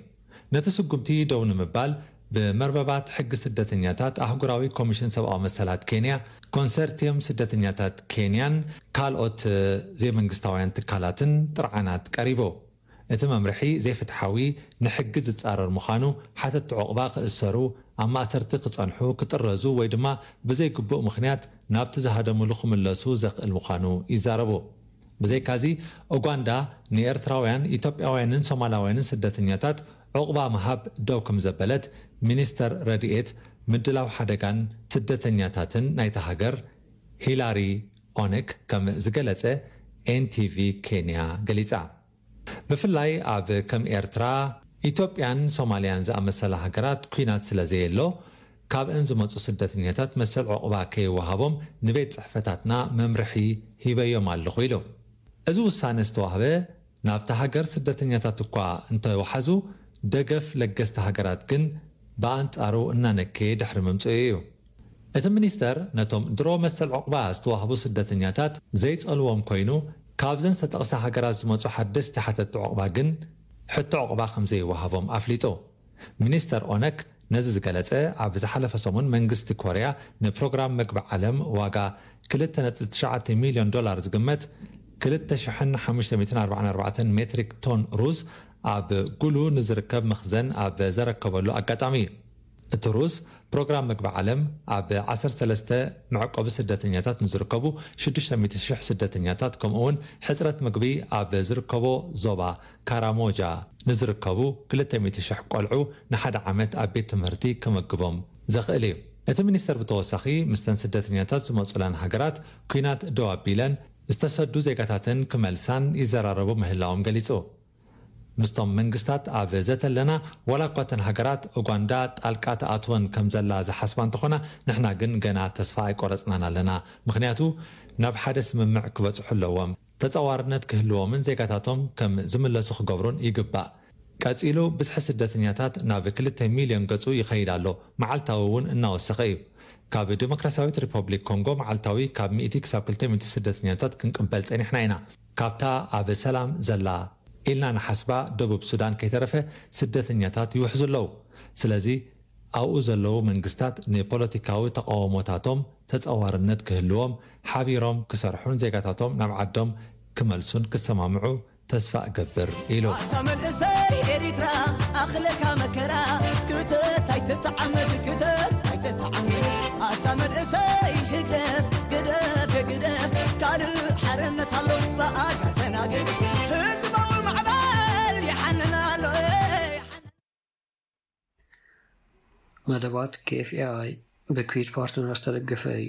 ነቲ ስጉምቲ ደው ንምባል ብመርበባት ሕጊ ስደተኛታት ኣህጉራዊ ኮሚሽን ሰብኣዊ መሰላት ኬንያ፣ ኮንሰርቲየም ስደተኛታት ኬንያን ካልኦት ዘይመንግስታውያን ትካላትን ጥርዓናት ቀሪቡ። እቲ መምርሒ ዘይፍትሓዊ፣ ንሕጊ ዝጻረር ምዃኑ፣ ሓተቲ ዑቕባ ክእሰሩ፣ ኣብ ማእሰርቲ ክጸንሑ፣ ክጥረዙ ወይ ድማ ብዘይግቡእ ምኽንያት ናብቲ ዝሃደሙሉ ክምለሱ ዘኽእል ምዃኑ ይዛረቡ። ብዘይካዚ፣ ኡጋንዳ ንኤርትራውያን፣ ኢትዮጵያውያንን ሶማላውያንን ስደተኛታት ዑቕባ ምሃብ ደው ከም ዘበለት ሚኒስተር ረድኤት ምድላው ሓደጋን ስደተኛታትን ናይታ ሃገር ሂላሪ ኦነክ ከም ዝገለጸ ኤንቲቪ ኬንያ ገሊጻ። ብፍላይ ኣብ ከም ኤርትራ፣ ኢትዮጵያን ሶማልያን ዝኣመሰላ ሃገራት ኲናት ስለ ዘየሎ፣ ካብአን ዝመጹ ስደተኛታት መሰል ዑቕባ ከይወሃቦም ንቤት ጽሕፈታትና መምርሒ ሂበዮም ኣለኹ ኢሉ። እዚ ውሳነ ዝተዋህበ ናብታ ሃገር ስደተኛታት እኳ እንተወሓዙ፣ ደገፍ ለገስቲ ሃገራት ግን ብኣንጻሩ እናነከየ ድሕሪ ምምጽኡ እዩ። እቲ ሚኒስተር ነቶም ድሮ መሰል ዑቕባ ዝተዋህቡ ስደተኛታት ዘይጸልዎም ኮይኑ፣ ካብዘን ዝተጠቕሳ ሃገራት ዝመጹ ሓደስቲ ሓተቲ ዑቕባ ግን ሕቶ ዑቕባ ከም ዘይወሃቦም ኣፍሊጡ። ሚኒስተር ኦነክ ነዚ ዝገለጸ፣ ኣብ ዝሓለፈ ሰሙን መንግስቲ ኮርያ ንፕሮግራም መግቢ ዓለም ዋጋ ክልተ ነጥቢ ትሽዓተ ሚልዮን ዶላር ዝግመት ክልተ ሽሕን ሓሙሽተ ሚእትን ኣርባዓን ኣርባዕተን ሜትሪክ ቶን ሩዝ ኣብ ጉሉ ንዝርከብ መኽዘን ኣብ ዘረከበሉ ኣጋጣሚ እዩ። እቲ ሩዝ ፕሮግራም መግቢ ዓለም ኣብ ዓሰርተ ሰለስተ መዕቆቢ ስደተኛታት ንዝርከቡ ሽዱሽተ ሚእቲ ሽሕ ስደተኛታት፣ ከምኡ እውን ሕጽረት ምግቢ ኣብ ዝርከቦ ዞባ ካራሞጃ ንዝርከቡ ክልተ ሚእቲ ሽሕ ቆልዑ ንሓደ ዓመት ኣብ ቤት ትምህርቲ ክመግቦም ዘኽእል እዩ። እቲ ሚኒስተር ብተወሳኺ ምስተን ስደተኛታት ዝመጹላን ሃገራት ኲናት ደው ኣቢለን ዝተሰዱ ዜጋታተን ክመልሳን ይዘራረቡ ምህላዎም ገሊጹ። ምስቶም መንግስታት ኣብ ዘተ ኣለና፣ ዋላ እኳ እተን ሃገራት ኡጋንዳ ጣልቃ ትኣትወን ከም ዘላ ዝሓስባ እንተኾና፣ ንሕና ግን ገና ተስፋ ኣይቆረጽናን ኣለና። ምኽንያቱ ናብ ሓደ ስምምዕ ክበጽሑ ኣለዎም። ተጻዋርነት ክህልዎምን ዜጋታቶም ከም ዝምለሱ ክገብሩን ይግባእ። ቀጺሉ ብዝሒ ስደተኛታት ናብ ክልተ ሚልዮን ገጹ ይኸይድ ኣሎ። መዓልታዊ እውን እናወሰኸ እዩ። ካብ ዲሞክራሲያዊት ሪፐብሊክ ኮንጎ መዓልታዊ ካብ ሚእቲ ክሳብ ክልተ ሚእቲ ስደተኛታት ክንቅበል ጸኒሕና ኢና። ካብታ ኣብ ሰላም ዘላ ኢልና ንሓስባ ደቡብ ሱዳን ከይተረፈ ስደተኛታት ይውሕዙ ኣለዉ። ስለዚ ኣብኡ ዘለዉ መንግስታት ንፖለቲካዊ ተቓውሞታቶም ተጻዋርነት ክህልዎም ሓቢሮም ክሰርሑን ዜጋታቶም ናብ ዓዶም ክመልሱን ክሰማምዑ ተስፋ እገብር ኢሉ። ኣታ መንእሰይ ኤሪትራ ኣኽለካ መከራ ክተት ኣይትተዓመድ ክተት ኣይትተዓመድ ኣታ መንእሰይ ሓርነት ኣሎ ብኣጋ ተናገር፣ ህዝባዊ ማዕበል ይሓንን ኣሎ። መደባት ኬ ኤፍ ኤ ኣይ ብኩዊት ፓርትነር ዝተደገፈ እዩ።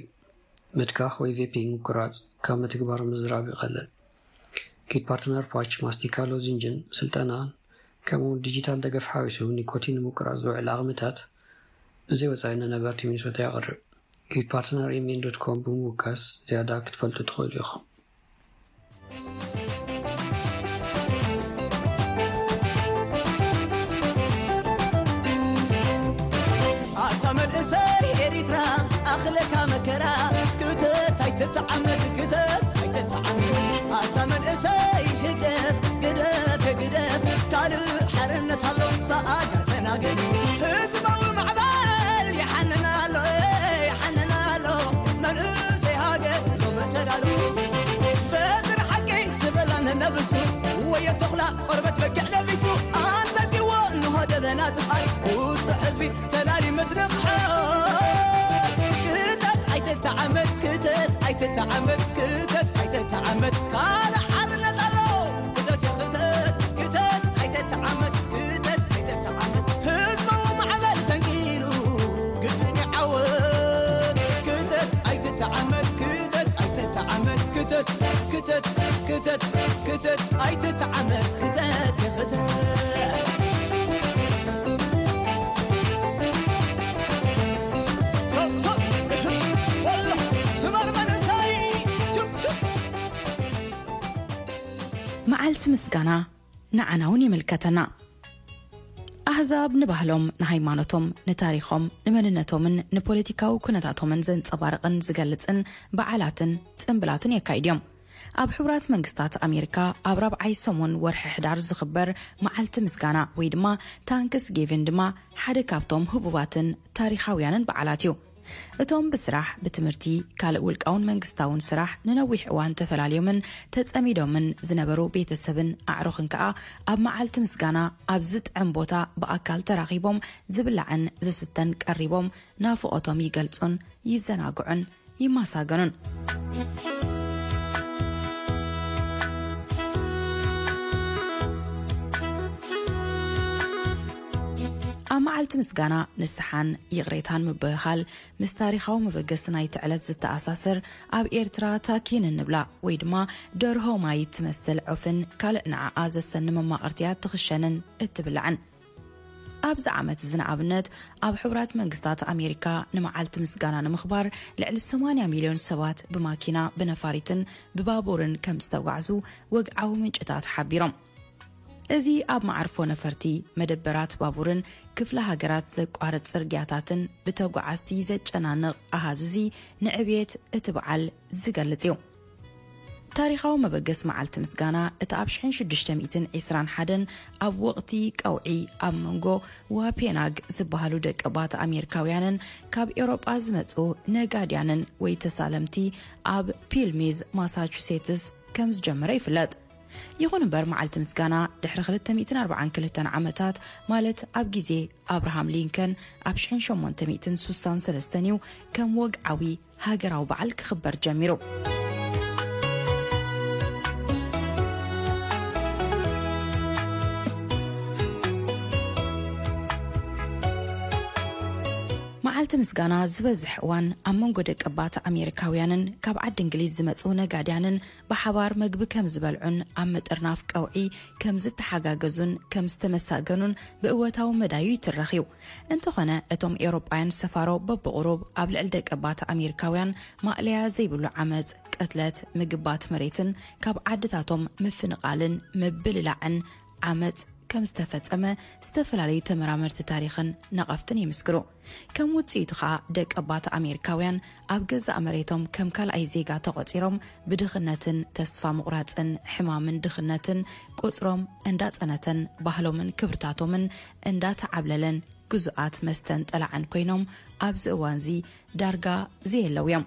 ምትካኽ ወይ ቬፒንግ ምቁራጽ ካብ ምትግባር ምዝራብ ይቐልል። ኪት ፓርትነር ፓች፣ ማስቲካ፣ ሎዚንጅን ስልጠናን ከምኡ እውን ዲጂታል ደገፍ ሓዊሱ ኒኮቲን ንምቁራጽ ዝውዕል ዓቕምታት ብዘይ ወጻኢ ንነበርቲ ሚኒሶታ የቕርብ። ኪት ፓርትነር ኤም ኤን ዶት ኮም ብምውካስ ዝያዳ ክትፈልጡ ትኽእሉ ኢኹም። ኣታ መንእሰይ ኤሪትራ ኣኽለካ መከራ፣ ክተት ኣይትተዓመድ፣ ክተት ኣይትተዓመድ። ኣታ መንእሰይ ህግደፍ ግደፍ፣ ግደፍ፣ ካልእ ሓርነት ኣሎ ብኣጋ ተናገር። ህዝባዊ ማዕበል ይሓንን ኣሎ፣ ይሓንን ኣሎ። መንእሰይ ሃገር ሎሚ ተዳሎ። በትሪ ሓቂ ዝበላ ነነብሱ፣ ወዮ ተኹላ ቆርበት በጊዕ ለቢሱ፣ ኣንጠልጢዎ እንሆ ደበና ጥፍኣት፣ ውጹዕ ህዝቢ ተላሊ ምስንቕሓት። ክተት ኣይትተዓመድ፣ ክተት ኣይትተዓመድ፣ ክተት ኣይትተዓመድ። ካልእ ሓርነት ኣሎ። ክተት፣ ክተት፣ ክተት ኣይትተዓመድ፣ ክተት ኣይትተዓመድ። ህዝባዊ ማዕበል ተንኪሩ ግድን ይዓወት። ክተት ኣይትተዓመድ፣ ክተት ኣይትተዓመድ፣ ክተት፣ ክተት፣ ክተት፣ ክተት ኣይትተዓመድ፣ ክተት ይኽተት። ሶ፣ ሶ፣ ወሎ፣ ስመር መንእሰይ፣ ቹፕ፣ ቹፕ። መዓልቲ ምስጋና ንዓና እውን ይምልከተና። ኣህዛብ ንባህሎም፣ ንሃይማኖቶም፣ ንታሪኾም፣ ንመንነቶምን ንፖለቲካዊ ኩነታቶምን ዘንጸባርቕን ዝገልጽን በዓላትን ጽምብላትን የካይድ እዮም። ኣብ ሕቡራት መንግስታት ኣሜሪካ ኣብ ራብዓይ ሰሙን ወርሒ ሕዳር ዝኽበር መዓልቲ ምስጋና ወይ ድማ ታንክስ ጊቪን ድማ ሓደ ካብቶም ህቡባትን ታሪኻውያንን በዓላት እዩ። እቶም ብስራሕ፣ ብትምህርቲ፣ ካልእ ውልቃውን መንግስታውን ስራሕ ንነዊሕ እዋን ተፈላልዮምን ተጸሚዶምን ዝነበሩ ቤተሰብን ኣዕሩኽን ከኣ ኣብ መዓልቲ ምስጋና ኣብ ዝጥዕም ቦታ ብኣካል ተራኺቦም ዝብላዕን ዝስተን ቀሪቦም ናፍቖቶም ይገልጹን ይዘናግዑን ይመሳገኑን። ኣብ መዓልቲ ምስጋና ንስሓን ይቕሬታን ምብህሃል ምስ ታሪኻዊ መበገሲ ናይቲ ዕለት ዝተኣሳሰር፣ ኣብ ኤርትራ ታኪን እንብላ ወይ ድማ ደርሆ ማይ ትመስል ዑፍን ካልእ ንዓኣ ዘሰኒ መማቕርትያ ትኽሸንን እትብላዕን። ኣብዚ ዓመት እዚ ንኣብነት ኣብ ሕቡራት መንግስታት ኣሜሪካ ንመዓልቲ ምስጋና ንምኽባር ልዕሊ ሰማንያ ሚልዮን ሰባት ብማኪና ብነፋሪትን ብባቡርን ከም ዝተጓዕዙ ወግዓዊ ምንጭታት ሓቢሮም። እዚ ኣብ መዓርፎ ነፈርቲ፣ መደበራት ባቡርን ክፍለ ሃገራት ዘቋርጽ ጽርግያታትን ብተጓዓዝቲ ዘጨናንቕ ኣሃዝ እዚ ንዕብየት እቲ በዓል ዝገልጽ እዩ። ታሪኻዊ መበገሲ መዓልቲ ምስጋና እቲ ኣብ ሽሕን ሽዱሽተ ሚእትን ዕስራን ሓደን ኣብ ወቕቲ ቀውዒ ኣብ መንጎ ዋፔናግ ዝበሃሉ ደቀባት ኣሜሪካውያንን ካብ ኤውሮጳ ዝመጹ ነጋድያንን ወይ ተሳለምቲ ኣብ ፒልሚዝ ማሳቹሴትስ ከም ዝጀመረ ይፍለጥ። ይኹን እምበር መዓልቲ ምስጋና ድሕሪ ክልተ ሚእትን ኣርባዓን ክልተን ዓመታት ማለት ኣብ ግዜ ኣብርሃም ሊንከን ኣብ ሽሕን ሸሞንተ ሚእትን ሱሳን ሰለስተን እዩ ከም ወግዓዊ ሃገራዊ በዓል ክኽበር ጀሚሩ። መዓልቲ ምስጋና ዝበዝሕ እዋን ኣብ መንጎ ደቀባት ኣሜሪካውያንን ካብ ዓዲ እንግሊዝ ዝመጹ ነጋድያንን ብሓባር መግቢ ከም ዝበልዑን ኣብ ምጥርናፍ ቀውዒ ከም ዝተሓጋገዙን ከም ዝተመሳገኑን ብእወታዊ መዳዩ ይትረኽ እዩ። እንተኾነ እቶም ኤውሮጳውያን ሰፋሮ በብቑሩብ ኣብ ልዕሊ ደቀባት ኣሜሪካውያን ማእለያ ዘይብሉ ዓመጽ፣ ቅትለት፣ ምግባት መሬትን ካብ ዓድታቶም ምፍንቓልን ምብልላዕን ዓመጽ ከም ዝተፈጸመ ዝተፈላለዩ ተመራመርቲ ታሪኽን ነቐፍትን ይምስክሩ። ከም ውጽኢቱ ኸኣ ደቀባት ኣሜሪካውያን ኣብ ገዛእ መሬቶም ከም ካልኣይ ዜጋ ተቖጺሮም ብድኽነትን ተስፋ ምቑራጽን ሕማምን ድኽነትን ቁጽሮም እንዳጸነተን ባህሎምን ክብርታቶምን እንዳተዓብለለን ግዙኣት መስተን ጠላዕን ኮይኖም ኣብዚ እዋንዚ ዳርጋ ዘየለዉ እዮም።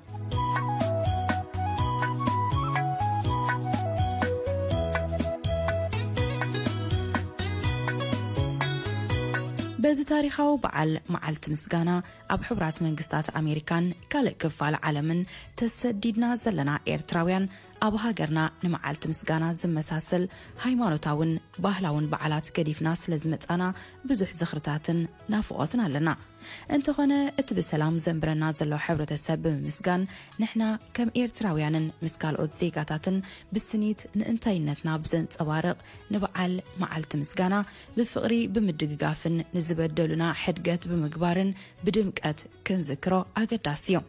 እዚ ታሪኻዊ በዓል መዓልቲ ምስጋና ኣብ ሕቡራት መንግስታት ኣሜሪካን ካልእ ክፋል ዓለምን ተሰዲድና ዘለና ኤርትራውያን ኣብ ሃገርና ንመዓልቲ ምስጋና ዝመሳሰል ሃይማኖታውን ባህላውን በዓላት ገዲፍና ስለ ዝመጻና ብዙሕ ዝኽርታትን ናፍቖትን ኣለና። እንተኾነ እቲ ብሰላም ዘንብረና ዘሎ ሕብረተሰብ ብምምስጋን ንሕና ከም ኤርትራውያንን ምስ ካልኦት ዜጋታትን ብስኒት ንእንታይነትና ብዘንጸባርቕ ንበዓል መዓልቲ ምስጋና ብፍቕሪ ብምድግጋፍን ንዝበደሉና ሕድገት ብምግባርን ብድምቀት ክንዝክሮ ኣገዳሲ እዩ።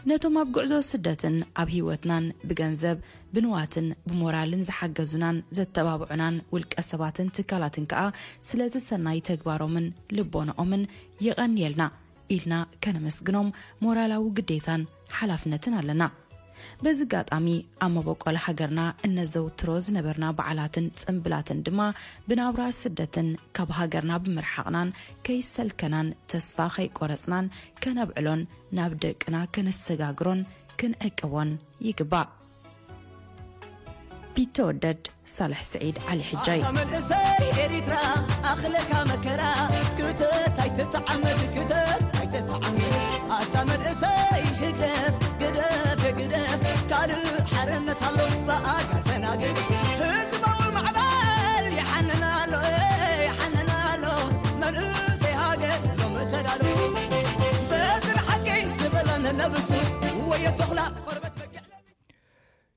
ነቶም ኣብ ጉዕዞ ስደትን ኣብ ህይወትናን ብገንዘብ ብንዋትን ብሞራልን ዝሓገዙናን ዘተባብዑናን ውልቀ ሰባትን ትካላትን ከኣ ስለቲ ሰናይ ተግባሮምን ልቦንኦምን የቐንየልና ኢልና ከነመስግኖም ሞራላዊ ግዴታን ሓላፍነትን ኣለና። በዚ ኣጋጣሚ ኣብ መበቆል ሃገርና እነዘውትሮ ዝነበርና በዓላትን ጽምብላትን ድማ ብናብራ ስደትን ካብ ሃገርና ብምርሓቕናን ከይሰልከናን ተስፋ ከይቆረጽናን ከነብዕሎን ናብ ደቅና ከነሰጋግሮን ክንዕቅቦን ይግባእ። ቢተወደድ ሳልሕ ስዒድ ዓሊ ሕጃይ። ኣታ መንእሰይ ኤሪትራ ኣኽለካ መከራ ክተት ኣይተተዓመድ ክተት ኣይተተዓመድ ኣታ መንእሰይ ህግደፍ ግደፍ ግደፍ ካልእ ሓርነት ኣሎ ብኣጋ ተናገር ህዝባዊ ማዕበል ይሓንን ኣሎ ይሓንን ኣሎ መንእሰይ ሃገር ሎም ተዳሉ በትር ሓቂ ዝበለን ነብሱ ወየ ተኽላ ቆርበት በጊዕ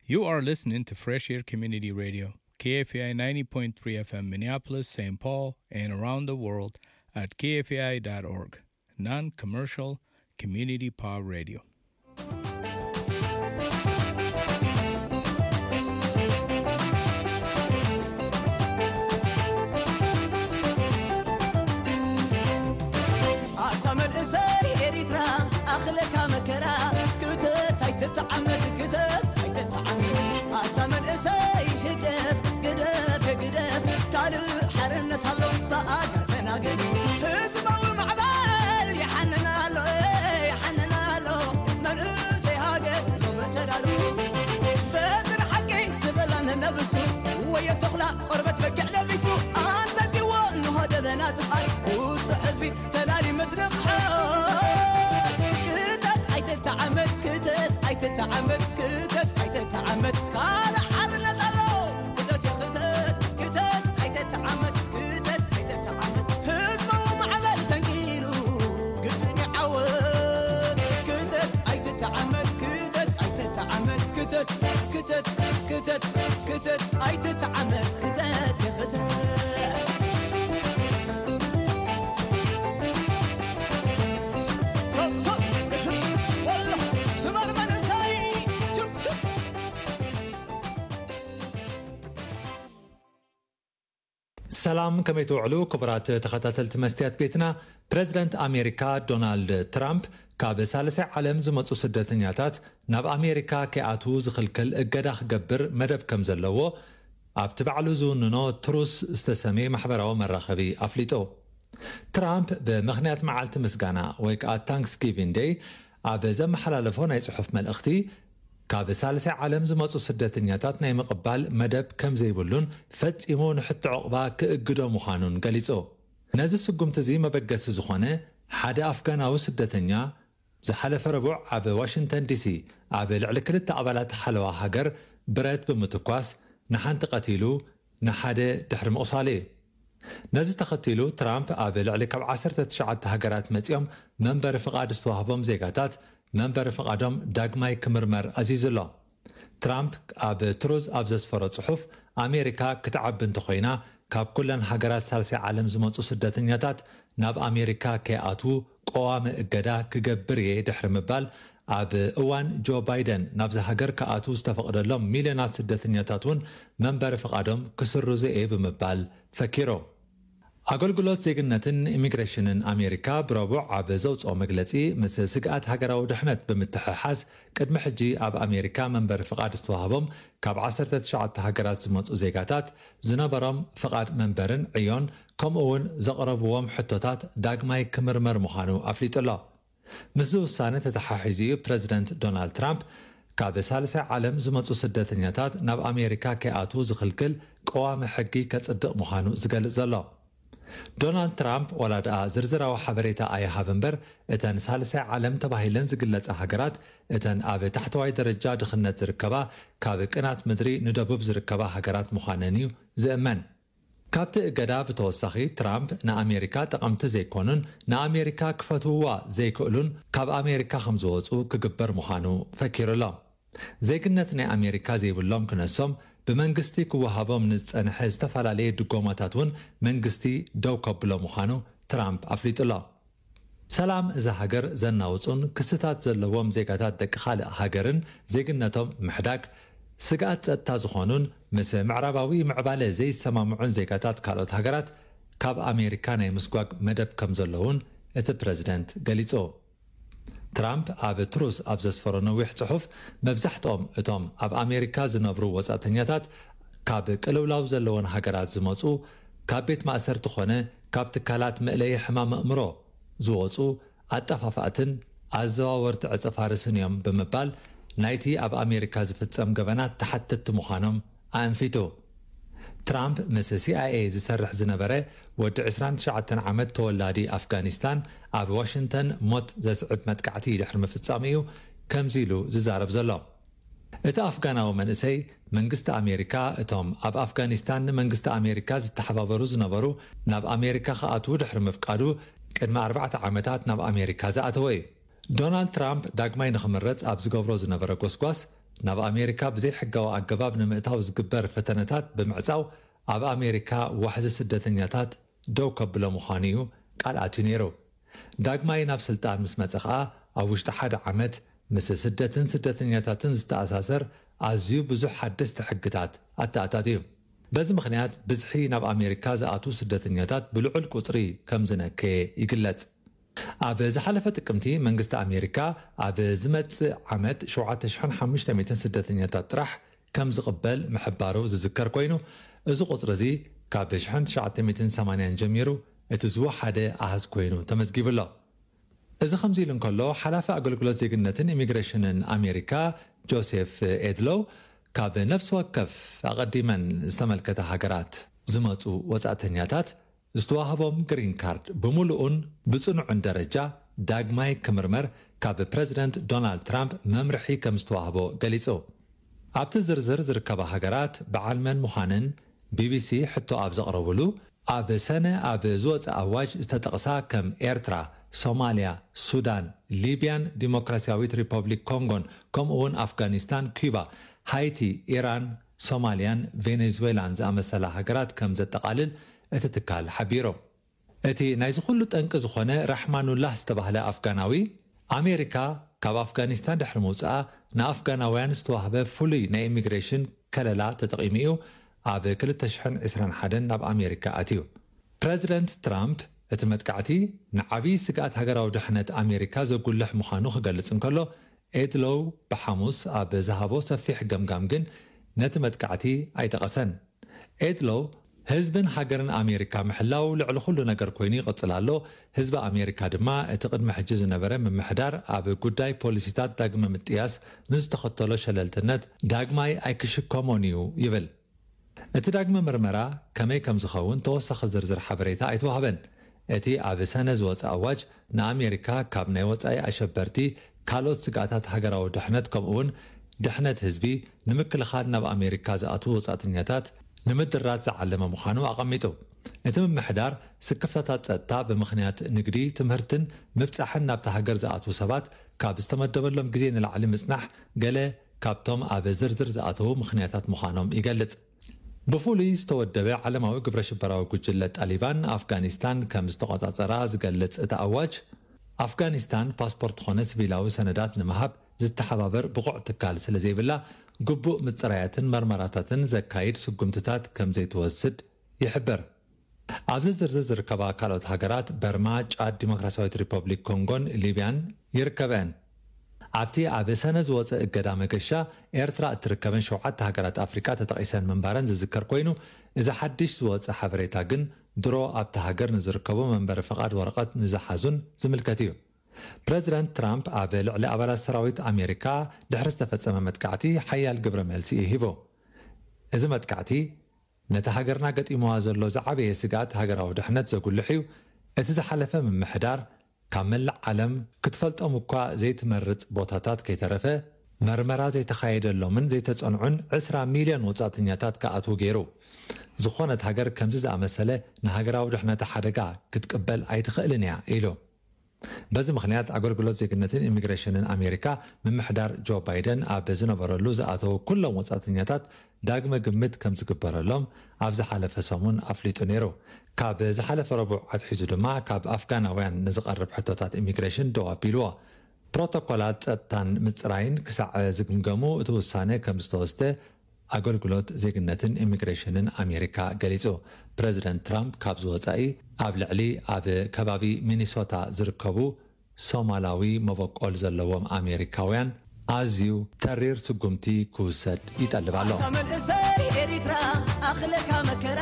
You are listening to Fresh Air Community Radio, K F A I ninety point three F M Minneapolis, Saint Paul, and around the world at K F A I dot org, non-commercial community power radio. ኣታ መንእሰይ ኤሪትራ ኣኽለካ መከራ ክተት ኣይተተዓመድ ክተት ኣይተተዓመድ ኣታ መንእሰይ ህግደፍ ግደፍ ግደፍ ካልእ ሓርነት ኣሎ ብኣጋ ተናገር ህዝባዊ ማዕበል ይሓንን ኣሎ ይሓንን ኣሎ መንእሰይ ሃገር ሎም ተዳሉ በትር ሓቂ ዝበላን ነብሱ ወየ ተኽላ ቆርበት በጊዕ ለቢሱ ኣንተኪዎ እንሆ ደበና ጥፋይ ውጹዕ ህዝቢ ተላሊ መስርቕ ክተት ኣይተተዓመት ክተት ኣይተተዓመት ክተት ኣይተተዓመት ካልእ ሓርነት ኣሎ ክተት ክተት ክተት ኣይተተዓመት ክተት ኣይተተዓመት ህዝባዊ ማዕበል ተንኪሉ ግድን ይዓወት ክተት ኣይተተዓመት ክተት ኣይተተዓመት ክተት ክተት ክተት ክተት ኣይተተዓመት ክተት ክተት ሰላም፣ ከመይ ትውዕሉ ክቡራት ተኸታተልቲ መስትያት ቤትና? ፕረዚደንት ኣሜሪካ ዶናልድ ትራምፕ ካብ ሳልሳይ ዓለም ዝመጹ ስደተኛታት ናብ ኣሜሪካ ከይኣትዉ ዝኽልክል እገዳ ክገብር መደብ ከም ዘለዎ ኣብቲ ባዕሉ ዝውንኖ ትሩስ ዝተሰምየ ማሕበራዊ መራኸቢ ኣፍሊጡ። ትራምፕ ብምኽንያት መዓልቲ ምስጋና ወይ ከኣ ታንክስጊቪን ደይ ኣብ ዘመሓላለፎ ናይ ጽሑፍ መልእኽቲ፣ ካብ ሳልሳይ ዓለም ዝመጹ ስደተኛታት ናይ ምቕባል መደብ ከም ዘይብሉን ፈጺሙ ንሕቶ ዑቕባ ክእግዶ ምዃኑን ገሊጹ። ነዚ ስጉምቲ እዚ መበገሲ ዝኾነ፣ ሓደ ኣፍጋናዊ ስደተኛ ዝሓለፈ ረቡዕ ኣብ ዋሽንግተን ዲሲ ኣብ ልዕሊ ክልተ ኣባላት ሓለዋ ሃገር ብረት ብምትኳስ ንሓንቲ ቀቲሉ ንሓደ ድሕሪ ምቑሳሉ እዩ። ነዚ ተኸቲሉ ትራምፕ ኣብ ልዕሊ ካብ ዓሰርተ ትሽዓተ ሃገራት መጺኦም መንበሪ ፍቓድ ዝተዋህቦም ዜጋታት መንበሪ ፍቓዶም ዳግማይ ክምርመር ኣዚዙ ኣሎ። ትራምፕ ኣብ ትሩዝ ኣብ ዘስፈሮ ጽሑፍ፣ ኣሜሪካ ክትዓቢ እንተኾይና ካብ ኩለን ሃገራት ሳልሳይ ዓለም ዝመጹ ስደተኛታት ናብ ኣሜሪካ ከይኣትዉ ቀዋሚ እገዳ ክገብር እየ ድሕሪ ምባል፣ ኣብ እዋን ጆ ባይደን ናብዚ ሃገር ክኣትዉ ዝተፈቕደሎም ሚልዮናት ስደተኛታት እውን መንበሪ ፍቓዶም ክስርዙ እየ ብምባል ፈኪሩ። ኣገልግሎት ዜግነትን ኢሚግሬሽንን ኣሜሪካ ብረቡዕ ኣብ ዘውፅኦ መግለፂ፣ ምስ ስግኣት ሃገራዊ ድሕነት ብምትሕሓዝ፣ ቅድሚ ሕጂ ኣብ ኣሜሪካ መንበሪ ፍቓድ ዝተዋህቦም ካብ ዓሰርተ ትሽዓተ ሃገራት ዝመፁ ዜጋታት ዝነበሮም ፍቓድ መንበርን ዕዮን፣ ከምኡ እውን ዘቕረብዎም ሕቶታት ዳግማይ ክምርመር ምዃኑ ኣፍሊጡ ኣሎ። ምስዚ ውሳነ ተተሓሒዙ እዩ ፕረዚደንት ዶናልድ ትራምፕ ካብ ሳልሳይ ዓለም ዝመፁ ስደተኛታት ናብ ኣሜሪካ ከይኣትዉ ዝኽልክል ቀዋሚ ሕጊ ከፅድቕ ምዃኑ ዝገልጽ ዘሎ። ዶናልድ ትራምፕ ዋላ ደኣ ዝርዝራዊ ሓበሬታ ኣይሃብ እምበር፣ እተን ሳልሳይ ዓለም ተባሂለን ዝግለጻ ሃገራት፣ እተን ኣብ ታሕተዋይ ደረጃ ድኽነት ዝርከባ፣ ካብ ቅናት ምድሪ ንደቡብ ዝርከባ ሃገራት ምዃነን እዩ ዝእመን። ካብቲ እገዳ ብተወሳኺ፣ ትራምፕ ንኣሜሪካ ጠቐምቲ ዘይኮኑን ንኣሜሪካ ክፈትውዋ ዘይክእሉን ካብ ኣሜሪካ ከም ዝወጹ ክግበር ምዃኑ ፈኪሩ ኣሎ። ዜግነት ናይ ኣሜሪካ ዘይብሎም ክነሶም ብመንግስቲ ክወሃቦም ንዝጸንሐ ዝተፈላለየ ድጎማታት እውን መንግስቲ ደው ከብሎ ምዃኑ ትራምፕ ኣፍሊጡ ኣሎ። ሰላም እዛ ሃገር ዘናውጹን ክስታት ዘለዎም ዜጋታት ደቂ ካልእ ሃገርን ዜግነቶም ምሕዳግ ስግኣት ጸጥታ ዝኾኑን ምስ ምዕራባዊ ምዕባለ ዘይሰማምዑን ዜጋታት ካልኦት ሃገራት ካብ ኣሜሪካ ናይ ምስጓግ መደብ ከም ዘለውን እቲ ፕረዚደንት ገሊጹ። ትራምፕ ኣብ ትሩስ ኣብ ዘስፈሮ ነዊሕ ጽሑፍ፣ መብዛሕትኦም እቶም ኣብ ኣሜሪካ ዝነብሩ ወጻእተኛታት ካብ ቅልውላው ዘለወን ሃገራት ዝመጹ፣ ካብ ቤት ማእሰርቲ ኾነ ካብ ትካላት መእለዪ ሕማም ኣእምሮ ዝወጹ ኣጠፋፋእትን ኣዘዋወርቲ ዕጸ ፋርስን እዮም ብምባል፣ ናይቲ ኣብ ኣሜሪካ ዝፍጸም ገበናት ተሓተትቲ ምዃኖም ኣእንፊቱ። ትራምፕ ምስ ሲኣይኤ ዝሰርሕ ዝነበረ ወዲ ዕስራን ትሽዓተን ዓመት ተወላዲ ኣፍጋኒስታን ኣብ ዋሽንግተን ሞት ዘስዕብ መጥቃዕቲ ድሕሪ ምፍጻሙ እዩ ከምዚ ኢሉ ዝዛረብ ዘሎ። እቲ ኣፍጋናዊ መንእሰይ፣ መንግስቲ ኣሜሪካ እቶም ኣብ ኣፍጋኒስታን ንመንግስቲ ኣሜሪካ ዝተሓባበሩ ዝነበሩ ናብ ኣሜሪካ ክኣትዉ ድሕሪ ምፍቃዱ፣ ቅድሚ ኣርባዕተ ዓመታት ናብ ኣሜሪካ ዝኣተወ እዩ። ዶናልድ ትራምፕ ዳግማይ ንኽምረጽ ኣብ ዝገብሮ ዝነበረ ጎስጓስ፣ ናብ ኣሜሪካ ብዘይሕጋዊ ኣገባብ ንምእታው ዝግበር ፈተነታት ብምዕጻው፣ ኣብ ኣሜሪካ ዋሕዚ ስደተኛታት ደው ከብሎ ምዃኑ እዩ ቃል ኣትዩ ነይሩ። ዳግማይ ናብ ስልጣን ምስ መጸ ኸኣ፣ ኣብ ውሽጢ ሓደ ዓመት ምስ ስደትን ስደተኛታትን ዝተኣሳሰር ኣዝዩ ብዙሕ ሓደስቲ ሕግታት ኣተኣታትዩ። በዚ ምኽንያት፣ ብዝሒ ናብ ኣሜሪካ ዝኣትዉ ስደተኛታት ብልዑል ቁጽሪ ከም ዝነከየ ይግለጽ። ኣብ ዝሓለፈ ጥቅምቲ፣ መንግስቲ ኣሜሪካ ኣብ ዝመጽእ ዓመት ሸውዓተ ሽሕን ሓሙሽተ ሚእትን ስደተኛታት ጥራሕ ከም ዝቕበል ምሕባሩ ዝዝከር ኮይኑ፣ እዚ ቁጽሪ እዚ ካብ ሽሕን ትሽዓተ ሚእትን ሰማንያን ጀሚሩ እቲ ዝወሓደ ኣሃዝ ኮይኑ ተመዝጊቡ ኣሎ። እዚ ከምዚ ኢሉ እንከሎ፣ ሓላፊ ኣገልግሎት ዜግነትን ኢሚግሬሽንን ኣሜሪካ ጆሴፍ ኤድሎው፣ ካብ ነፍሲ ወከፍ ኣቐዲመን ዝተመልከተ ሃገራት ዝመጹ ወጻእተኛታት ዝተዋህቦም ግሪን ካርድ ብምሉኡን ብጽኑዕን ደረጃ ዳግማይ ክምርመር ካብ ፕረዚደንት ዶናልድ ትራምፕ መምርሒ ከም ዝተዋህቦ ገሊጹ። ኣብቲ ዝርዝር ዝርከባ ሃገራት በዓል መን ምዃነን ቢቢሲ ሕቶ ኣብ ዘቕረቡሉ፣ ኣብ ሰነ ኣብ ዝወጸ ኣዋጅ ዝተጠቕሳ ከም ኤርትራ፣ ሶማልያ፣ ሱዳን፣ ሊብያን ዲሞክራሲያዊት ሪፐብሊክ ኮንጎን፣ ከምኡ እውን ኣፍጋኒስታን፣ ኩባ፣ ሃይቲ፣ ኢራን፣ ሶማልያን ቬኔዙዌላን ዝኣመሰላ ሃገራት ከም ዘጠቓልል እቲ ትካል ሓቢሩ። እቲ ናይዚ ኩሉ ጠንቂ ዝኾነ ራሕማኑላህ ዝተባህለ ኣፍጋናዊ፣ ኣሜሪካ ካብ ኣፍጋኒስታን ድሕሪ ምውጽኣ ንኣፍጋናውያን ዝተዋህበ ፍሉይ ናይ ኢሚግሬሽን ከለላ ተጠቒሙ እዩ ኣብ ክልተ ሽሕን ዕስራን ሓደን ናብ ኣሜሪካ ኣትዩ። ፕረዚደንት ትራምፕ እቲ መጥቃዕቲ ንዓብዪ ስግኣት ሃገራዊ ድሕነት ኣሜሪካ ዘጉልሕ ምዃኑ ክገልጽ እንከሎ፣ ኤድሎው ብሓሙስ ኣብ ዝሃቦ ሰፊሕ ገምጋም ግን ነቲ መጥቃዕቲ ኣይጠቐሰን። ኤድሎው፣ ህዝብን ሃገርን ኣሜሪካ ምሕላው ልዕሊ ኩሉ ነገር ኮይኑ ይቕጽል ኣሎ። ህዝቢ ኣሜሪካ ድማ እቲ ቅድሚ ሕጂ ዝነበረ ምምሕዳር ኣብ ጉዳይ ፖሊሲታት ዳግመ ምጥያስ ንዝተኸተሎ ሸለልትነት ዳግማይ ኣይክሽከሞን እዩ ይብል። እቲ ዳግመ ምርመራ ከመይ ከም ዝኸውን ተወሳኺ ዝርዝር ሓበሬታ ኣይተዋህበን። እቲ ኣብ ሰነ ዝወጸ ኣዋጅ ንኣሜሪካ ካብ ናይ ወጻኢ ኣሸበርቲ፣ ካልኦት ስግኣታት ሃገራዊ ድሕነት፣ ከምኡውን ድሕነት ህዝቢ ንምክልኻል ናብ ኣሜሪካ ዝኣትዉ ወጻእተኛታት ንምድራት ዝዓለመ ምዃኑ ኣቐሚጡ። እቲ ምምሕዳር ስክፍታታት ጸጥታ ብምኽንያት ንግዲ፣ ትምህርትን ምብጻሕን ናብታ ሃገር ዝኣትዉ ሰባት ካብ ዝተመደበሎም ግዜ ንላዕሊ ምጽናሕ ገለ ካብቶም ኣብ ዝርዝር ዝኣተዉ ምኽንያታት ምዃኖም ይገልጽ። ብፍሉይ ዝተወደበ ዓለማዊ ግብረ ሽበራዊ ጉጅለ ጣሊባን ኣፍጋኒስታን ከም ዝተቖጻጸራ ዝገልጽ እቲ ኣዋጅ፣ ኣፍጋኒስታን ፓስፖርት ኾነ ሲቪላዊ ሰነዳት ንምሃብ ዝተሓባበር ብቑዕ ትካል ስለ ዘይብላ፣ ግቡእ ምጽራያትን መርመራታትን ዘካይድ ስጉምትታት ከም ዘይትወስድ ይሕብር። ኣብዚ ዝርዝር ዝርከባ ካልኦት ሃገራት በርማ፣ ጫድ፣ ዲሞክራሲያዊት ሪፐብሊክ ኮንጎን ሊብያን ይርከበን። ኣብቲ ኣብ ሰነ ዝወጸ እገዳ መገሻ፣ ኤርትራ እትርከበን ሸውዓተ ሃገራት ኣፍሪቃ ተጠቒሰን ምንባረን ዝዝከር ኮይኑ፣ እዚ ሓድሽ ዝወጸ ሓበሬታ ግን ድሮ ኣብታ ሃገር ንዝርከቡ መንበሪ ፍቓድ ወረቐት ንዝሓዙን ዝምልከት እዩ። ፕረዚደንት ትራምፕ ኣብ ልዕሊ ኣባላት ሰራዊት ኣሜሪካ ድሕሪ ዝተፈጸመ መጥቃዕቲ ሓያል ግብረ መልሲ እዩ ሂቡ። እዚ መጥቃዕቲ ነቲ ሃገርና ገጢምዋ ዘሎ ዝዓበየ ስግኣት ሃገራዊ ድሕነት ዘጉልሕ እዩ። እቲ ዝሓለፈ ምምሕዳር ካብ መላእ ዓለም ክትፈልጦም እኳ ዘይትመርጽ ቦታታት ከይተረፈ መርመራ ዘይተኻየደሎምን ዘይተጸንዑን ዕስራ ሚልዮን ወጻእተኛታት ክኣትዉ ገይሩ። ዝኾነት ሃገር ከምዚ ዝኣመሰለ ንሃገራዊ ድሕነታ ሓደጋ ክትቅበል ኣይትኽእልን እያ ኢሉ። በዚ ምኽንያት ኣገልግሎት ዜግነትን ኢሚግሬሽንን ኣሜሪካ ምምሕዳር ጆ ባይደን ኣብ ዝነበረሉ ዝኣተዉ ኩሎም ወጻእተኛታት ዳግመ ግምት ከም ዝግበረሎም ኣብ ዝሓለፈ ሰሙን ኣፍሊጡ ነይሩ። ካብ ዝሓለፈ ረቡዕ ኣትሒዙ ድማ ካብ ኣፍጋናውያን ንዝቐርብ ሕቶታት ኢሚግሬሽን ደው ኣቢልዎ። ፕሮቶኮላት ጸጥታን ምጽራይን ክሳዕ ዝግምገሙ እቲ ውሳነ ከም ዝተወስደ ኣገልግሎት ዜግነትን ኢሚግሬሽንን ኣሜሪካ ገሊጹ። ፕረዚደንት ትራምፕ ካብዚ ወጻኢ ኣብ ልዕሊ ኣብ ከባቢ ሚኒሶታ ዝርከቡ ሶማላዊ መበቆል ዘለዎም ኣሜሪካውያን ኣዝዩ ተሪር ስጉምቲ ክውሰድ ይጠልብ ኣሎ። ኣታ መንእሰይ ኤሪትራ ኣኽለካ መከራ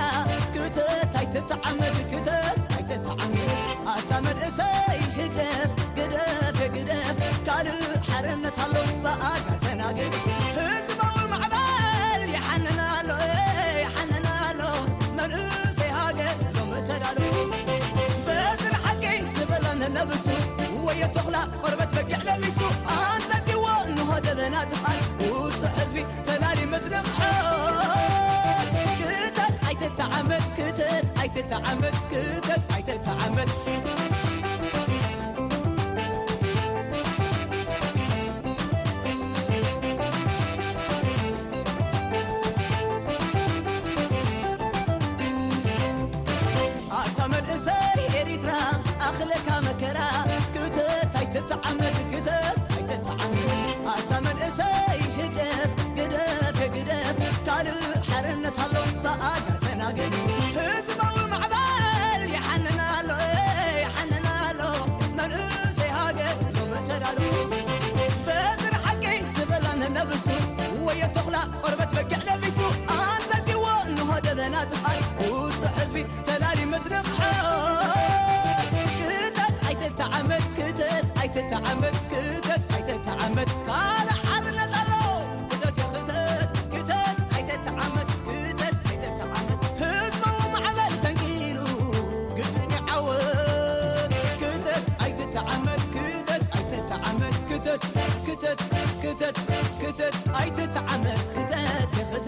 ክተት ኣይትተዓመድ ክተት ኣይትተዓመድ ኣታ መንእሰይ ህግደፍ ግደፍ ግደፍ ካልእ ሓርነት ኣሎ ብኣጋ ተናገር ህዝባዊ ማዕበል ይሓንን ኣሎ ይሓንን ኣሎ መንእሰይ ሃገር ሎም ተዳሎ በትር ሓቂ ዝበለን ነብሱ ወየ ተኽላ ቆርበት በጊዕ ለቢሱ ኣንጠጢዎ ንሆ ደበና ትኻል ውፅእ ህዝቢ ተላሊ መስርቕ ክተት ኣይትተዓመት ክተት ኣይትተዓመት ክተት ኣይትተዓመት ኣታ መንእሰይ ኤሪትራ ኣኽለካ መከራ ክተት ኣይትተዓመት ክተት ኣይትተዓመት ኣታ መንእሰይ ህግደፍ ግደፍ ግደፍ ካልእ ሓርነት ኣሎ ብኣጋ ተናገር ህዝባዊ ማዕበል ይሓንን ኣሎ ይሓንን ኣሎ መንእሰይ ሃገር ሎም ተዳሎ በትር ሓቂ ዝበላን ነብሱ ወየ ተኽላ ቆርበት በጊዕ ለቢሱ ኣንጠጢዎ እንሆ ደበና ትኻል ውፅእ ህዝቢ ተላሊ መስርቕ ክተት ኣይትተዓመት ክተት ኣይትተዓመት ክተት ኣይትተዓመት ካልእ ሓርነት ኣሎ ክተት ክተት ክተት ኣይትተዓመት ክተት ኣይትተዓመት ህዝባዊ ማዕበል ተንኪሉ ግድን ይዓወት ክተት ኣይትተዓመት ክተት ኣይትተዓመት ክተት ክተት ክተት ክተት ኣይትተዓመት ክተት ይኽተት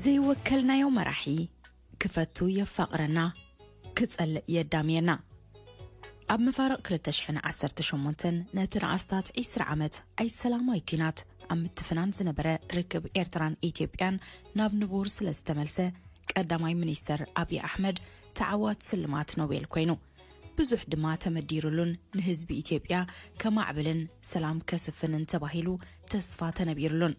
ዘይወከልናዮ መራሒ ክፈቱ የፋቕረና ክጸልእ የዳምየና ኣብ መፋርቕ ክልተ ሽሕን ዓሰርተ ሸሞንተን ነቲ ንኣስታት ዒስራ ዓመት ኣይሰላማዊ ኲናት ኣብ ምትፍናን ዝነበረ ርክብ ኤርትራን ኢትዮጵያን ናብ ንቡር ስለ ዝተመልሰ ቀዳማይ ሚኒስተር ኣብዪ ኣሕመድ ተዓዋት ስልማት ኖቤል ኮይኑ ብዙሕ ድማ ተመዲሩሉን ንህዝቢ ኢትዮጵያ ከማዕብልን ሰላም ከስፍንን ተባሂሉ ተስፋ ተነቢሩሉን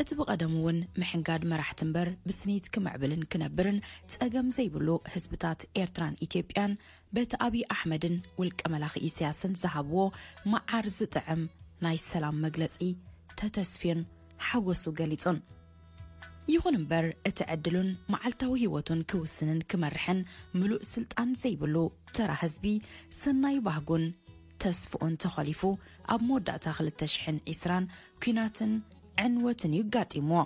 እቲ ብቐደሙ እውን ምሕንጋድ መራሕቲ እምበር ብስኒት ክምዕብልን ክነብርን ጸገም ዘይብሉ ህዝብታት ኤርትራን ኢትዮጵያን በቲ ኣብዪ ኣሕመድን ውልቀ መላኺ ኢሳያስን ዝሃብዎ መዓር ዝጥዕም ናይ ሰላም መግለጺ ተተስፍዮን ሓጎሱ ገሊጹን። ይኹን እምበር እቲ ዕድሉን መዓልታዊ ህይወቱን ክውስንን ክመርሕን ምሉእ ስልጣን ዘይብሉ ተራ ህዝቢ ሰናይ ባህጉን ተስፍኡን ተኾሊፉ ኣብ መወዳእታ ክልተ ሽሕን ዕስራን ኲናትን ዕንወትን እዩ ጋጢምዎ።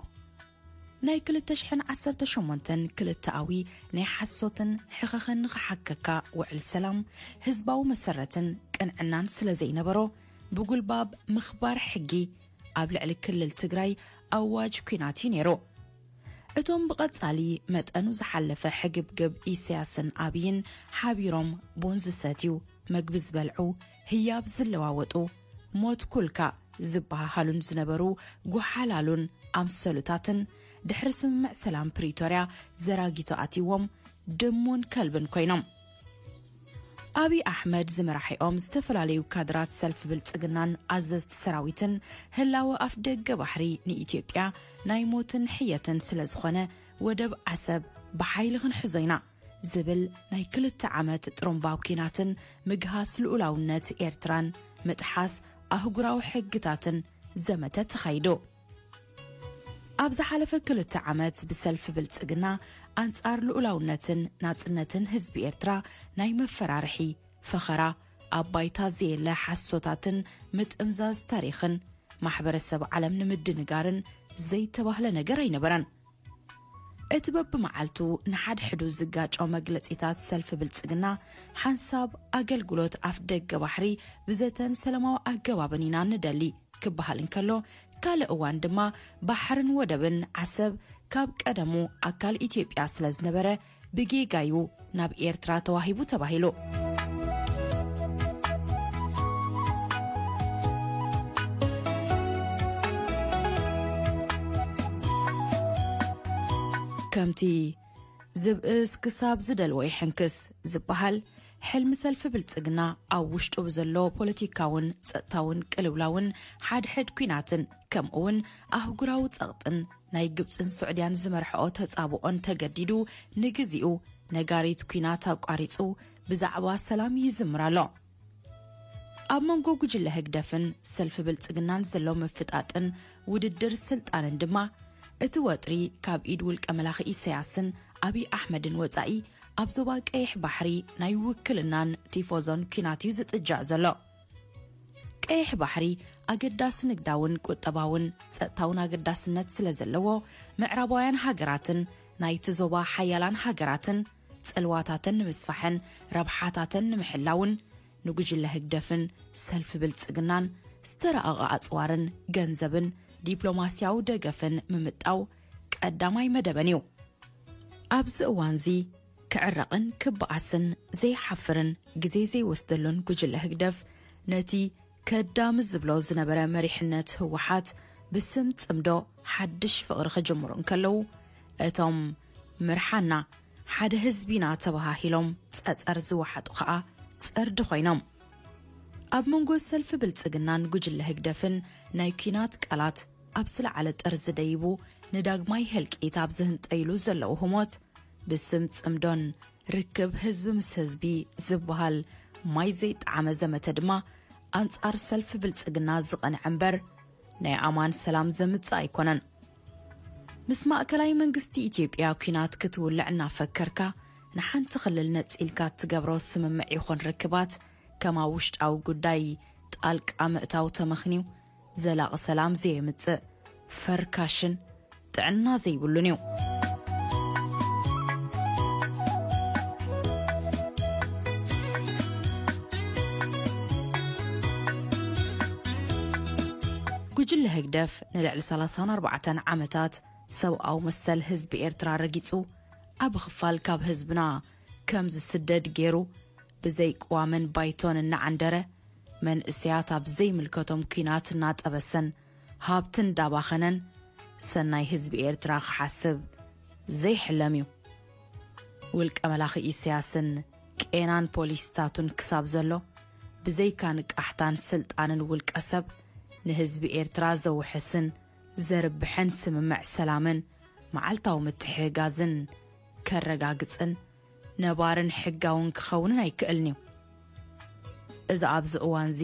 ናይ ክልተ ሽሕን ዓሰርተ ሸሞንተን ክልተኣዊ ናይ ሓሶትን ሕኸኸን ንኽሓከካ ውዕል ሰላም ህዝባዊ መሰረትን ቅንዕናን ስለ ዘይነበሮ ብጉልባብ ምኽባር ሕጊ ኣብ ልዕሊ ክልል ትግራይ ኣዋጅ ኲናት እዩ ነይሩ። እቶም ብቐጻሊ መጠኑ ዝሓለፈ ሕግብግብ ኢሳያስን ኣብይን ሓቢሮም ቡን ዝሰትዩ፣ መግቢ ዝበልዑ፣ ህያብ ዝለዋወጡ፣ ሞት ኩልካ ዝበሃሃሉን ዝነበሩ ጓሓላሉን ኣምሰሉታትን ድሕሪ ስምምዕ ሰላም ፕሪቶርያ ዘራጊቶ ኣትይዎም ድሙን ከልብን ኮይኖም። ኣብይ ኣሕመድ ዝመራሒኦም ዝተፈላለዩ ካድራት ሰልፊ ብልጽግናን ኣዘዝቲ ሰራዊትን ህላወ ኣፍ ደገ ባሕሪ ንኢትዮጵያ ናይ ሞትን ሕየትን ስለ ዝኾነ ወደብ ዓሰብ ብሓይሊ ክንሕዞ ኢና ዝብል ናይ ክልተ ዓመት ጥሩምባ ኲናትን ምግሃስ ልኡላውነት ኤርትራን ምጥሓስ ኣህጉራዊ ሕግታትን ዘመተ ተኻይዱ። ኣብ ዝሓለፈ ክልተ ዓመት ብሰልፊ ብልጽግና ኣንጻር ልኡላውነትን ናጽነትን ህዝቢ ኤርትራ ናይ መፈራርሒ፣ ፈኸራ፣ ኣብ ባይታ ዘየለ ሓሶታትን ምጥምዛዝ ታሪኽን ማሕበረሰብ ዓለም ንምድንጋርን ዘይተባህለ ነገር ኣይነበረን። እቲ በብመዓልቱ ንሓድሕዱ ዝጋጮ መግለጺታት ሰልፊ ብልጽግና፣ ሓንሳብ ኣገልግሎት ኣፍ ደገ ባሕሪ ብዘተን ሰላማዊ ኣገባብን ኢና ንደሊ ክበሃል እንከሎ፣ ካልእ እዋን ድማ ባሕርን ወደብን ዓሰብ ካብ ቀደሙ ኣካል ኢትዮጵያ ስለ ዝነበረ፣ ብጌጋዩ ናብ ኤርትራ ተዋሂቡ ተባሂሉ። ከምቲ ዝብእስ ክሳብ ዝደልዎ ይሕንክስ ዝበሃል፣ ሕልሚ ሰልፊ ብልጽግና ኣብ ውሽጡ ብዘሎ ፖለቲካውን ጸጥታውን ቅልውላውን ሓድሕድ ኲናትን ከምኡውን ኣህጉራዊ ጸቕጥን ናይ ግብጽን ስዑድያን ዝመርሕኦ ተጻብኦን ተገዲዱ ንግዚኡ ነጋሪት ኲናት ኣቋሪጹ ብዛዕባ ሰላም ይዝምር ኣሎ። ኣብ መንጎ ጉጅለ ህግደፍን ሰልፊ ብልጽግናን ዘሎ ምፍጣጥን ውድድር ስልጣንን ድማ እቲ ወጥሪ ካብ ኢድ ውልቀ መላኺ ኢሳያስን ኣብይ ኣሕመድን ወጻኢ ኣብ ዞባ ቀይሕ ባሕሪ ናይ ውክልናን ቲፎዞን ኲናት እዩ ዝጥጃእ ዘሎ። ቀይሕ ባሕሪ ኣገዳሲ ንግዳውን ቁጠባውን ጸጥታውን ኣገዳስነት ስለ ዘለዎ፣ ምዕራባውያን ሃገራትን ናይቲ ዞባ ሓያላን ሃገራትን ጽልዋታተን ንምስፋሕን ረብሓታተን ንምሕላውን ንጉጅለ ህግደፍን ሰልፊ ብልጽግናን ዝተራቐቐ ኣጽዋርን ገንዘብን ዲፕሎማስያዊ ደገፍን ምምጣው ቀዳማይ መደበን እዩ። ኣብዚ እዋንዚ ክዕረቕን ክበኣስን ዘይሓፍርን ግዜ ዘይወስደሉን ጉጅለ ህግደፍ ነቲ ከዳሚ ዝብሎ ዝነበረ መሪሕነት ህወሓት ብስም ጽምዶ ሓድሽ ፍቕሪ ክጅምሩ እንከለዉ፣ እቶም ምርሓና ሓደ ህዝቢና ተበሃሂሎም ጸጸር ዝወሓጡ ኸኣ ጸርዲ ኮይኖም። ኣብ መንጎ ሰልፊ ብልጽግናን ጉጅለ ህግደፍን ናይ ኲናት ቃላት ኣብ ዝለዓለ ጠርዚ ደይቡ ንዳግማይ ህልቂት ኣብ ዝህንጠይሉ ዘለዉ ህሞት፣ ብስም ጽምዶን ርክብ ህዝቢ ምስ ህዝቢ ዝበሃል ማይ ዘይጠዓመ ዘመተ ድማ ኣንጻር ሰልፊ ብልጽግና ዝቐንዐ እምበር ናይ ኣማን ሰላም ዘምጽእ ኣይኮነን። ምስ ማእከላይ መንግስቲ ኢትዮጵያ ኲናት ክትውልዕ እናፈከርካ ንሓንቲ ክልል ነጺልካ እትገብሮ ስምምዕ ይኹን ርክባት ከም ኣብ ውሽጣዊ ጉዳይ ጣልቃ ምእታው ተመኽንዩ ዘላቒ ሰላም ዘየምጽእ ፈርካሽን ጥዕና ዘይብሉን እዩ። ጉጅለ ህግደፍ ንልዕሊ ሰላሳን ኣርባዕተን ዓመታት ሰብኣዊ መሰል ህዝቢ ኤርትራ ረጊጹ፣ ዓቢ ክፋል ካብ ህዝብና ከም ዝስደድ ገይሩ፣ ብዘይቅዋምን ባይቶን እናዓንደረ፣ መንእሰያት ኣብ ዘይምልከቶም ኲናት እናጠበሰን ሃብቲ እንዳባኸነን ሰናይ ህዝቢ ኤርትራ ክሓስብ ዘይሕለም እዩ። ውልቀ መላኺ ኢሳያስን ቄናን ፖሊስታቱን ክሳብ ዘሎ፣ ብዘይካ ንቃሕታን ስልጣንን ውልቀ ሰብ ንህዝቢ ኤርትራ ዘውሕስን ዘርብሕን ስምምዕ ሰላምን መዓልታዊ ምትሕግጋዝን ከረጋግጽን ነባርን ሕጋውን ክኸውንን ኣይክእልን እዩ። እዚ ኣብዚ እዋንዚ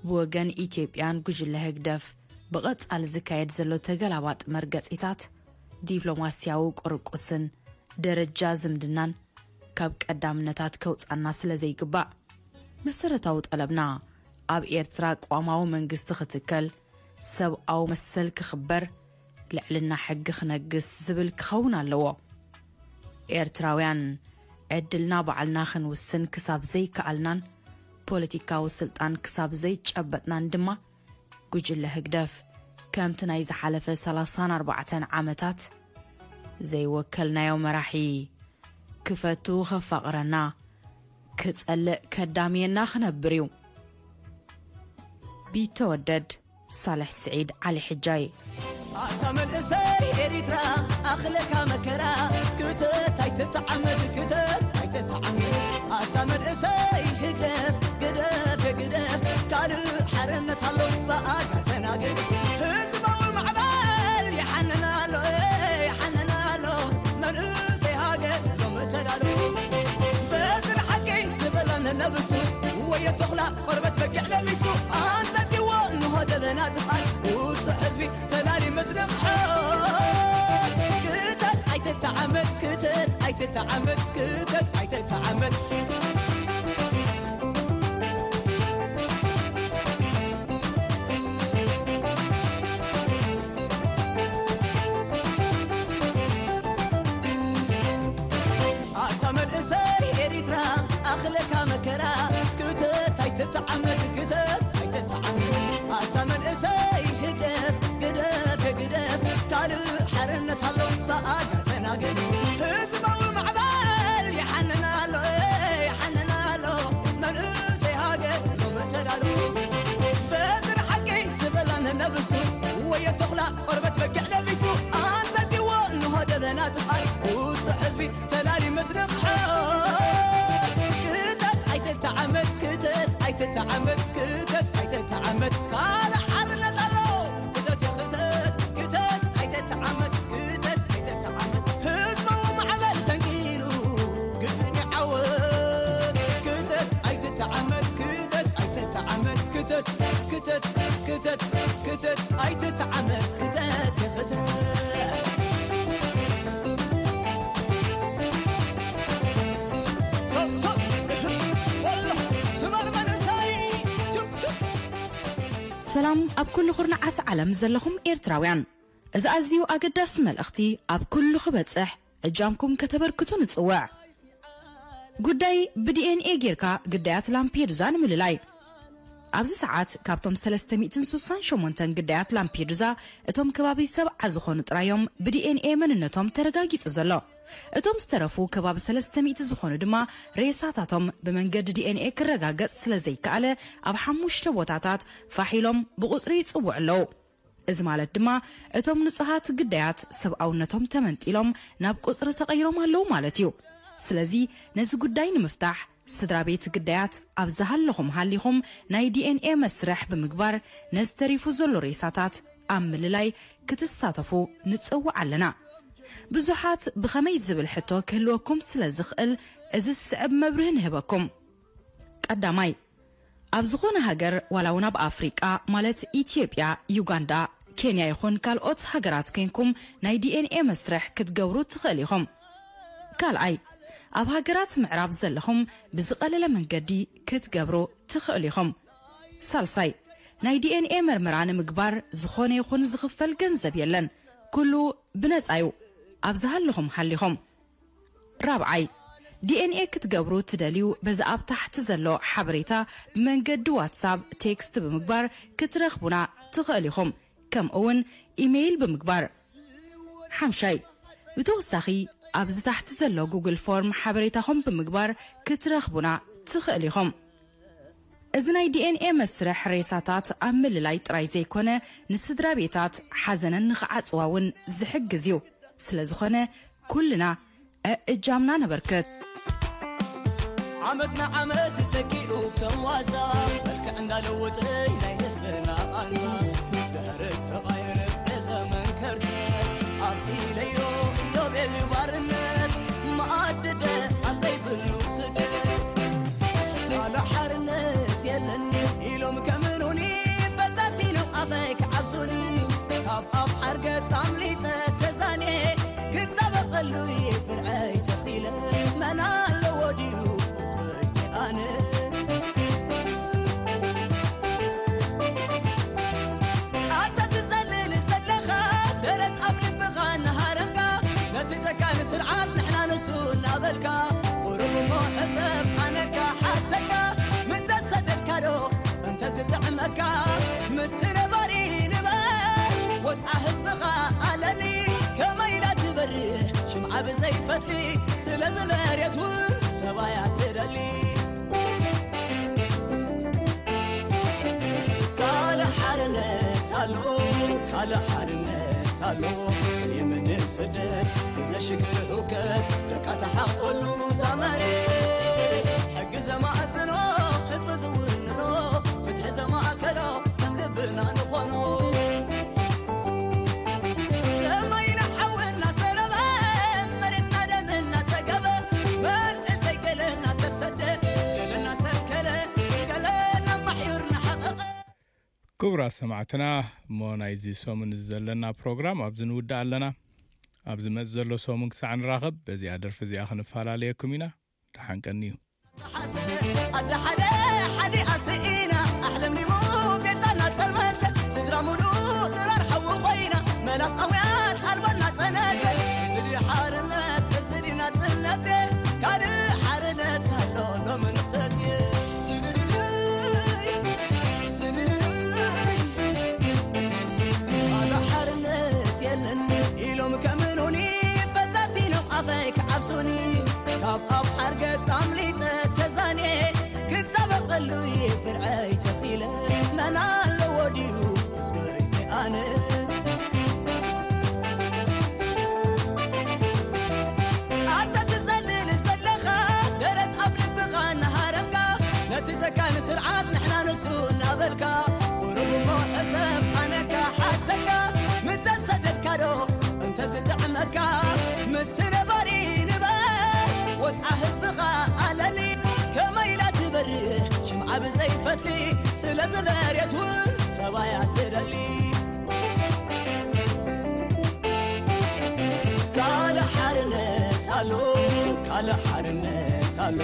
ብወገን ኢትዮጵያን ጉጅለ ህግደፍ ብቐጻሊ ዝካየድ ዘሎ ተገላባጢ መርገጺታት፣ ዲፕሎማስያዊ ቁርቁስን ደረጃ ዝምድናን ካብ ቀዳምነታት ከውጻና ስለ ዘይግባእ፣ መሰረታዊ ጠለብና ኣብ ኤርትራ ቅዋማዊ መንግስቲ ክትከል፣ ሰብኣዊ መሰል ክኽበር፣ ልዕልና ሕጊ ክነግስ ዝብል ክኸውን ኣለዎ። ኤርትራውያን ዕድልና ባዕልና ክንውስን ክሳብ ዘይከኣልናን ፖለቲካዊ ስልጣን ክሳብ ዘይጨበጥናን ድማ፣ ጉጅለ ህግደፍ ከምቲ ናይ ዝሓለፈ ሰላሳን ኣርባዕተን ዓመታት ዘይወከልናዮ መራሒ ክፈቱ ከፋቕረና፣ ክጸልእ ከዳምየና ክነብር እዩ። ቢተወደድ ሳልሕ ስዒድ ዓሊ ሕጃይ። ኣታ መንእሰይ ኤሪትራ ኣኽለካ መከራ፣ ክተት ኣይትተዓመድ፣ ክተት ኣይትተዓመድ። ኣታ መንእሰይ ህግደፍ ግደፍ፣ ግደፍ፣ ካልእ ሓርነት ኣሎ ብኣካ ተናገር። ህዝባዊ ማዕበል ይሓንን ኣሎ፣ ይሓንን ኣሎ፣ መንእሰይ ሃገር ሎም ተዳሎ። በትሪ ሓቂ ዝበለን ነብሱ፣ ወዮ ተኹላ ቆርበት በጊዕ ለቢሱ፣ ኣንጠጥዎ ንሆ ደበና ጥፋል፣ ውጹዕ ህዝቢ ተላሊ ምስ ነቕሖ። ተዓመት ክተት ኣይተተዓመት። ኣታ መንእሰይ ኤሪትራ ኣኽለካ መከራ ክተት ኣይተተዓመት ክተት ኣይተተዓመት። ኣታ መንእሰይ ህግደፍ ግደፍ ግደፍ ካልእ ሓርነት ኣሎ ብኣጋ ተናገር። ህዝባዊ ማዕበል ይሓንን ኣሎ ይሓንን ኣሎ መንእሰይ ሃገር ሎሚ ተዳሎ። በትሪ ሓቂ ዝበላ ነነብሱ ወየ ተኹላ ቆርበት በጊዕ ለቢሱ ኣንጠልጢዎ እንሆ ደበና ጥፍኣት ውጹዕ ህዝቢ ተላሊ መስርቕ ሓት። ክተት ኣይተተዓመት ክተት ኣይተተዓመት ክተት ኣይተተዓመት ካልእ ሓርነት ኣሎ። ክተት ክተት ክተት ኣይተተዓመት ክተት ኣይተተዓመት ህዝባዊ ማዕበል ተንኪሉ ግድን ይዓወት። ክተት ኣይተተዓመት ክተት ኣይተተዓመት ክተት ክተት ክተት ክተት ኣይተተዓመት ክተት ይኽተት። ሰላም ኣብ ኩሉ ኩርናዓት ዓለም ዘለኹም ኤርትራውያን፣ እዚ ኣዝዩ ኣገዳሲ መልእኽቲ ኣብ ኩሉ ክበጽሕ እጃምኩም ከተበርክቱ ንጽውዕ። ጉዳይ ብዲኤንኤ ጌርካ ግዳያት ላምፔዱዛ ንምልላይ። ኣብዚ ሰዓት ካብቶም ሰለስተ ሚእትን ስሳን ሸሞንተን ግዳያት ላምፔዱዛ እቶም ከባቢ ሰብዓ ዝኾኑ ጥራዮም ብዲኤንኤ መንነቶም ተረጋጊጹ ዘሎ። እቶም ዝተረፉ ከባቢ ሰለስተ ሚእቲ ዝኾኑ ድማ ሬሳታቶም ብመንገዲ ዲኤንኤ ክረጋገጽ ስለ ዘይከኣለ ኣብ ሓሙሽተ ቦታታት ፋሕ ኢሎም ብቑጽሪ ይጽውዑ ኣለዉ። እዚ ማለት ድማ እቶም ንጹሃት ግዳያት ሰብኣውነቶም ተመንጢሎም ናብ ቁጽሪ ተቐይሮም ኣለዉ ማለት እዩ። ስለዚ ነዚ ጉዳይ ንምፍታሕ ስድራ ቤት ግዳያት ኣብ ዝሃለኹም ሃሊኹም ናይ ዲኤንኤ መስርሕ ብምግባር ነዚ ተሪፉ ዘሎ ሬሳታት ኣብ ምልላይ ክትሳተፉ ንጽውዕ ኣለና። ብዙሓት ብኸመይ ዝብል ሕቶ ክህልወኩም ስለ ዝኽእል እዚ ዝስዕብ መብርሂ ንህበኩም። ቀዳማይ፣ ኣብ ዝኾነ ሃገር ዋላ እውን ኣብ ኣፍሪቃ ማለት ኢትዮጵያ፣ ዩጋንዳ፣ ኬንያ ይኹን ካልኦት ሃገራት ኮይንኩም ናይ ዲኤንኤ መስርሕ ክትገብሩ ትኽእል ኢኹም። ካልኣይ፣ ኣብ ሃገራት ምዕራብ ዘለኹም ብዝቐለለ መንገዲ ክትገብሩ ትኽእሉ ኢኹም። ሳልሳይ፣ ናይ ዲኤንኤ መርመራ ንምግባር ዝኾነ ይኹን ዝኽፈል ገንዘብ የለን። ኩሉ ብነጻ እዩ። ኣብ ዝሃለኹም ሃሊኹም። ራብዓይ፣ ዲኤንኤ ክትገብሩ ትደልዩ በዚ ኣብ ታሕቲ ዘሎ ሓበሬታ ብመንገዲ ዋትሳፕ ቴክስት ብምግባር ክትረኽቡና ትኽእል ኢኹም። ከምኡ እውን ኢሜይል ብምግባር። ሓምሻይ፣ ብተወሳኺ ኣብዚ ታሕቲ ዘሎ ጉግል ፎርም ሓበሬታኹም ብምግባር ክትረኽቡና ትኽእል ኢኹም። እዚ ናይ ዲኤንኤ መስርሕ ሬሳታት ኣብ ምልላይ ጥራይ ዘይኮነ ንስድራ ቤታት ሓዘነን ንኽዓጽዋ እውን ዝሕግዝ እዩ። ስለ ዝኾነ ኩልና እእጃምና ነበርክት። ዓመት ንዓመት ተኪኡ ከም ዋዛ መልክዕ እንዳለወጠ ናይ ህዝብና ቃንዛ ድሕሪ ሰቓይ ርብዒ ዘመን ከርተት ኣጥኢለዮ ኢዮቤልዩ ባርነት መኣድደ ኣብ ዘይብሉ ስደት ካለ ሓርነት የለን ኢሎም ከምኑኒ ፈታቲኖም ኣፈይ ክዓብሱኒ ካብ ኣብ ሓርገ ጻምሊጠ ተዛኔ ክጠበቐሉ ብርዐይ ተኺለ መን ኣለዎ ድዩ ዝወፅእ ኣነ ኣታ ትጸልል ዘለኻ ደረት ኣብ ልብኻ እናሃረምካ ነቲ ጨካን ስርዓት ንሕና ንሱ እናበልካ ቁሩብ እሞ ሕሰብ ኣነካ ሓተካ ምተሰደድካ ዶ እንተዝጥዕመካ ምስቲ ነባሪ ንበር ወፅዓ ህዝብኻ ኣለሊ ከመይ ኢላ ትበርህ ሽምዓ ብዘይፈትሊ ስለዚ መሬት እውን ሰባያ ትደሊ ካልእ ሓርነት ኣሎ ካልእ ሓርነት ኣሎ የመን ስደት ብዘሽግር ህውከት ደቃ ተሓቆሉ ዛመሬት ሕጊ ዘማእዝኖ ህዝቢ ዝውንኖ ፍትሒ ዘማእከሎ ከም ልብና ንኾኖ ሰማይና ሓዊ እናሰረበ መሬትና ደም እናጸገበ መንእሰይ ገለ እናተሰደ ገለ እናሰንከለ ገለ እናማሕዩር እናሓቐቐ ክቡራት ሰማዕትና እሞ ናይዚ ሰሙን እዚ ዘለና ፕሮግራም ኣብዚ ንውዳእ ኣለና። ኣብ ዝመጽእ ዘሎ ሰሙን ክሳዕ ንራኸብ በዚኣ ደርፊ እዚኣ ክንፈላለየኩም ኢና። ደሓን ቀንዩ። ኣደ ሓደ ሓዲኣ ስኢና ኣሕለምሊሙ ቤታና ጸልመተ ስድራ ሙሉ ድራር ሓዊ ኮይና መላስ ኣውያት ኣልባና ጸነተ። እዚ ድዩ ሓርነት፣ እዚ ድዩ ናጽነት፣ ካልእ ሓርነት ኣሎ ሎሚ ንኽተት። ዝድድድይ ዝድድድይ ካልእ ሓርነት የለን ኢሎም ከምኑኒ ፈታቲኖም ኣፈይ ክዓብሱኒ ካብ ኣብ ሓርገጽ ኣምሊጠ ተዛንየ ክጣበቐሉ ብርዐይ ተኺለ መን ኣለዎ ድዩ ዝበይ ኣነ ኣታ ትጸልል ዘለኻ ደረት ኣብ ልብኻ እናሃረምካ ነቲ ጨካን ስርዓት ንሕና ንሱ እናበልካ ቁሩብ እሞ ሕሰብ ኣነካ ሓተካ ምተሰደድካ ዶ እንተዝጥዕመካ ምስቲ ነባሪ ንበር ወፅዓ ህዝብኻ ኣለሊ ከመይ ኢላ ትበርህ ሽምዓ ብዘይፈትሊ ስለዚ መሬት እውን ሰባያ ትደሊ ካልእ ሓርነት ኣሎ ካልእ ሓርነት ኣሎ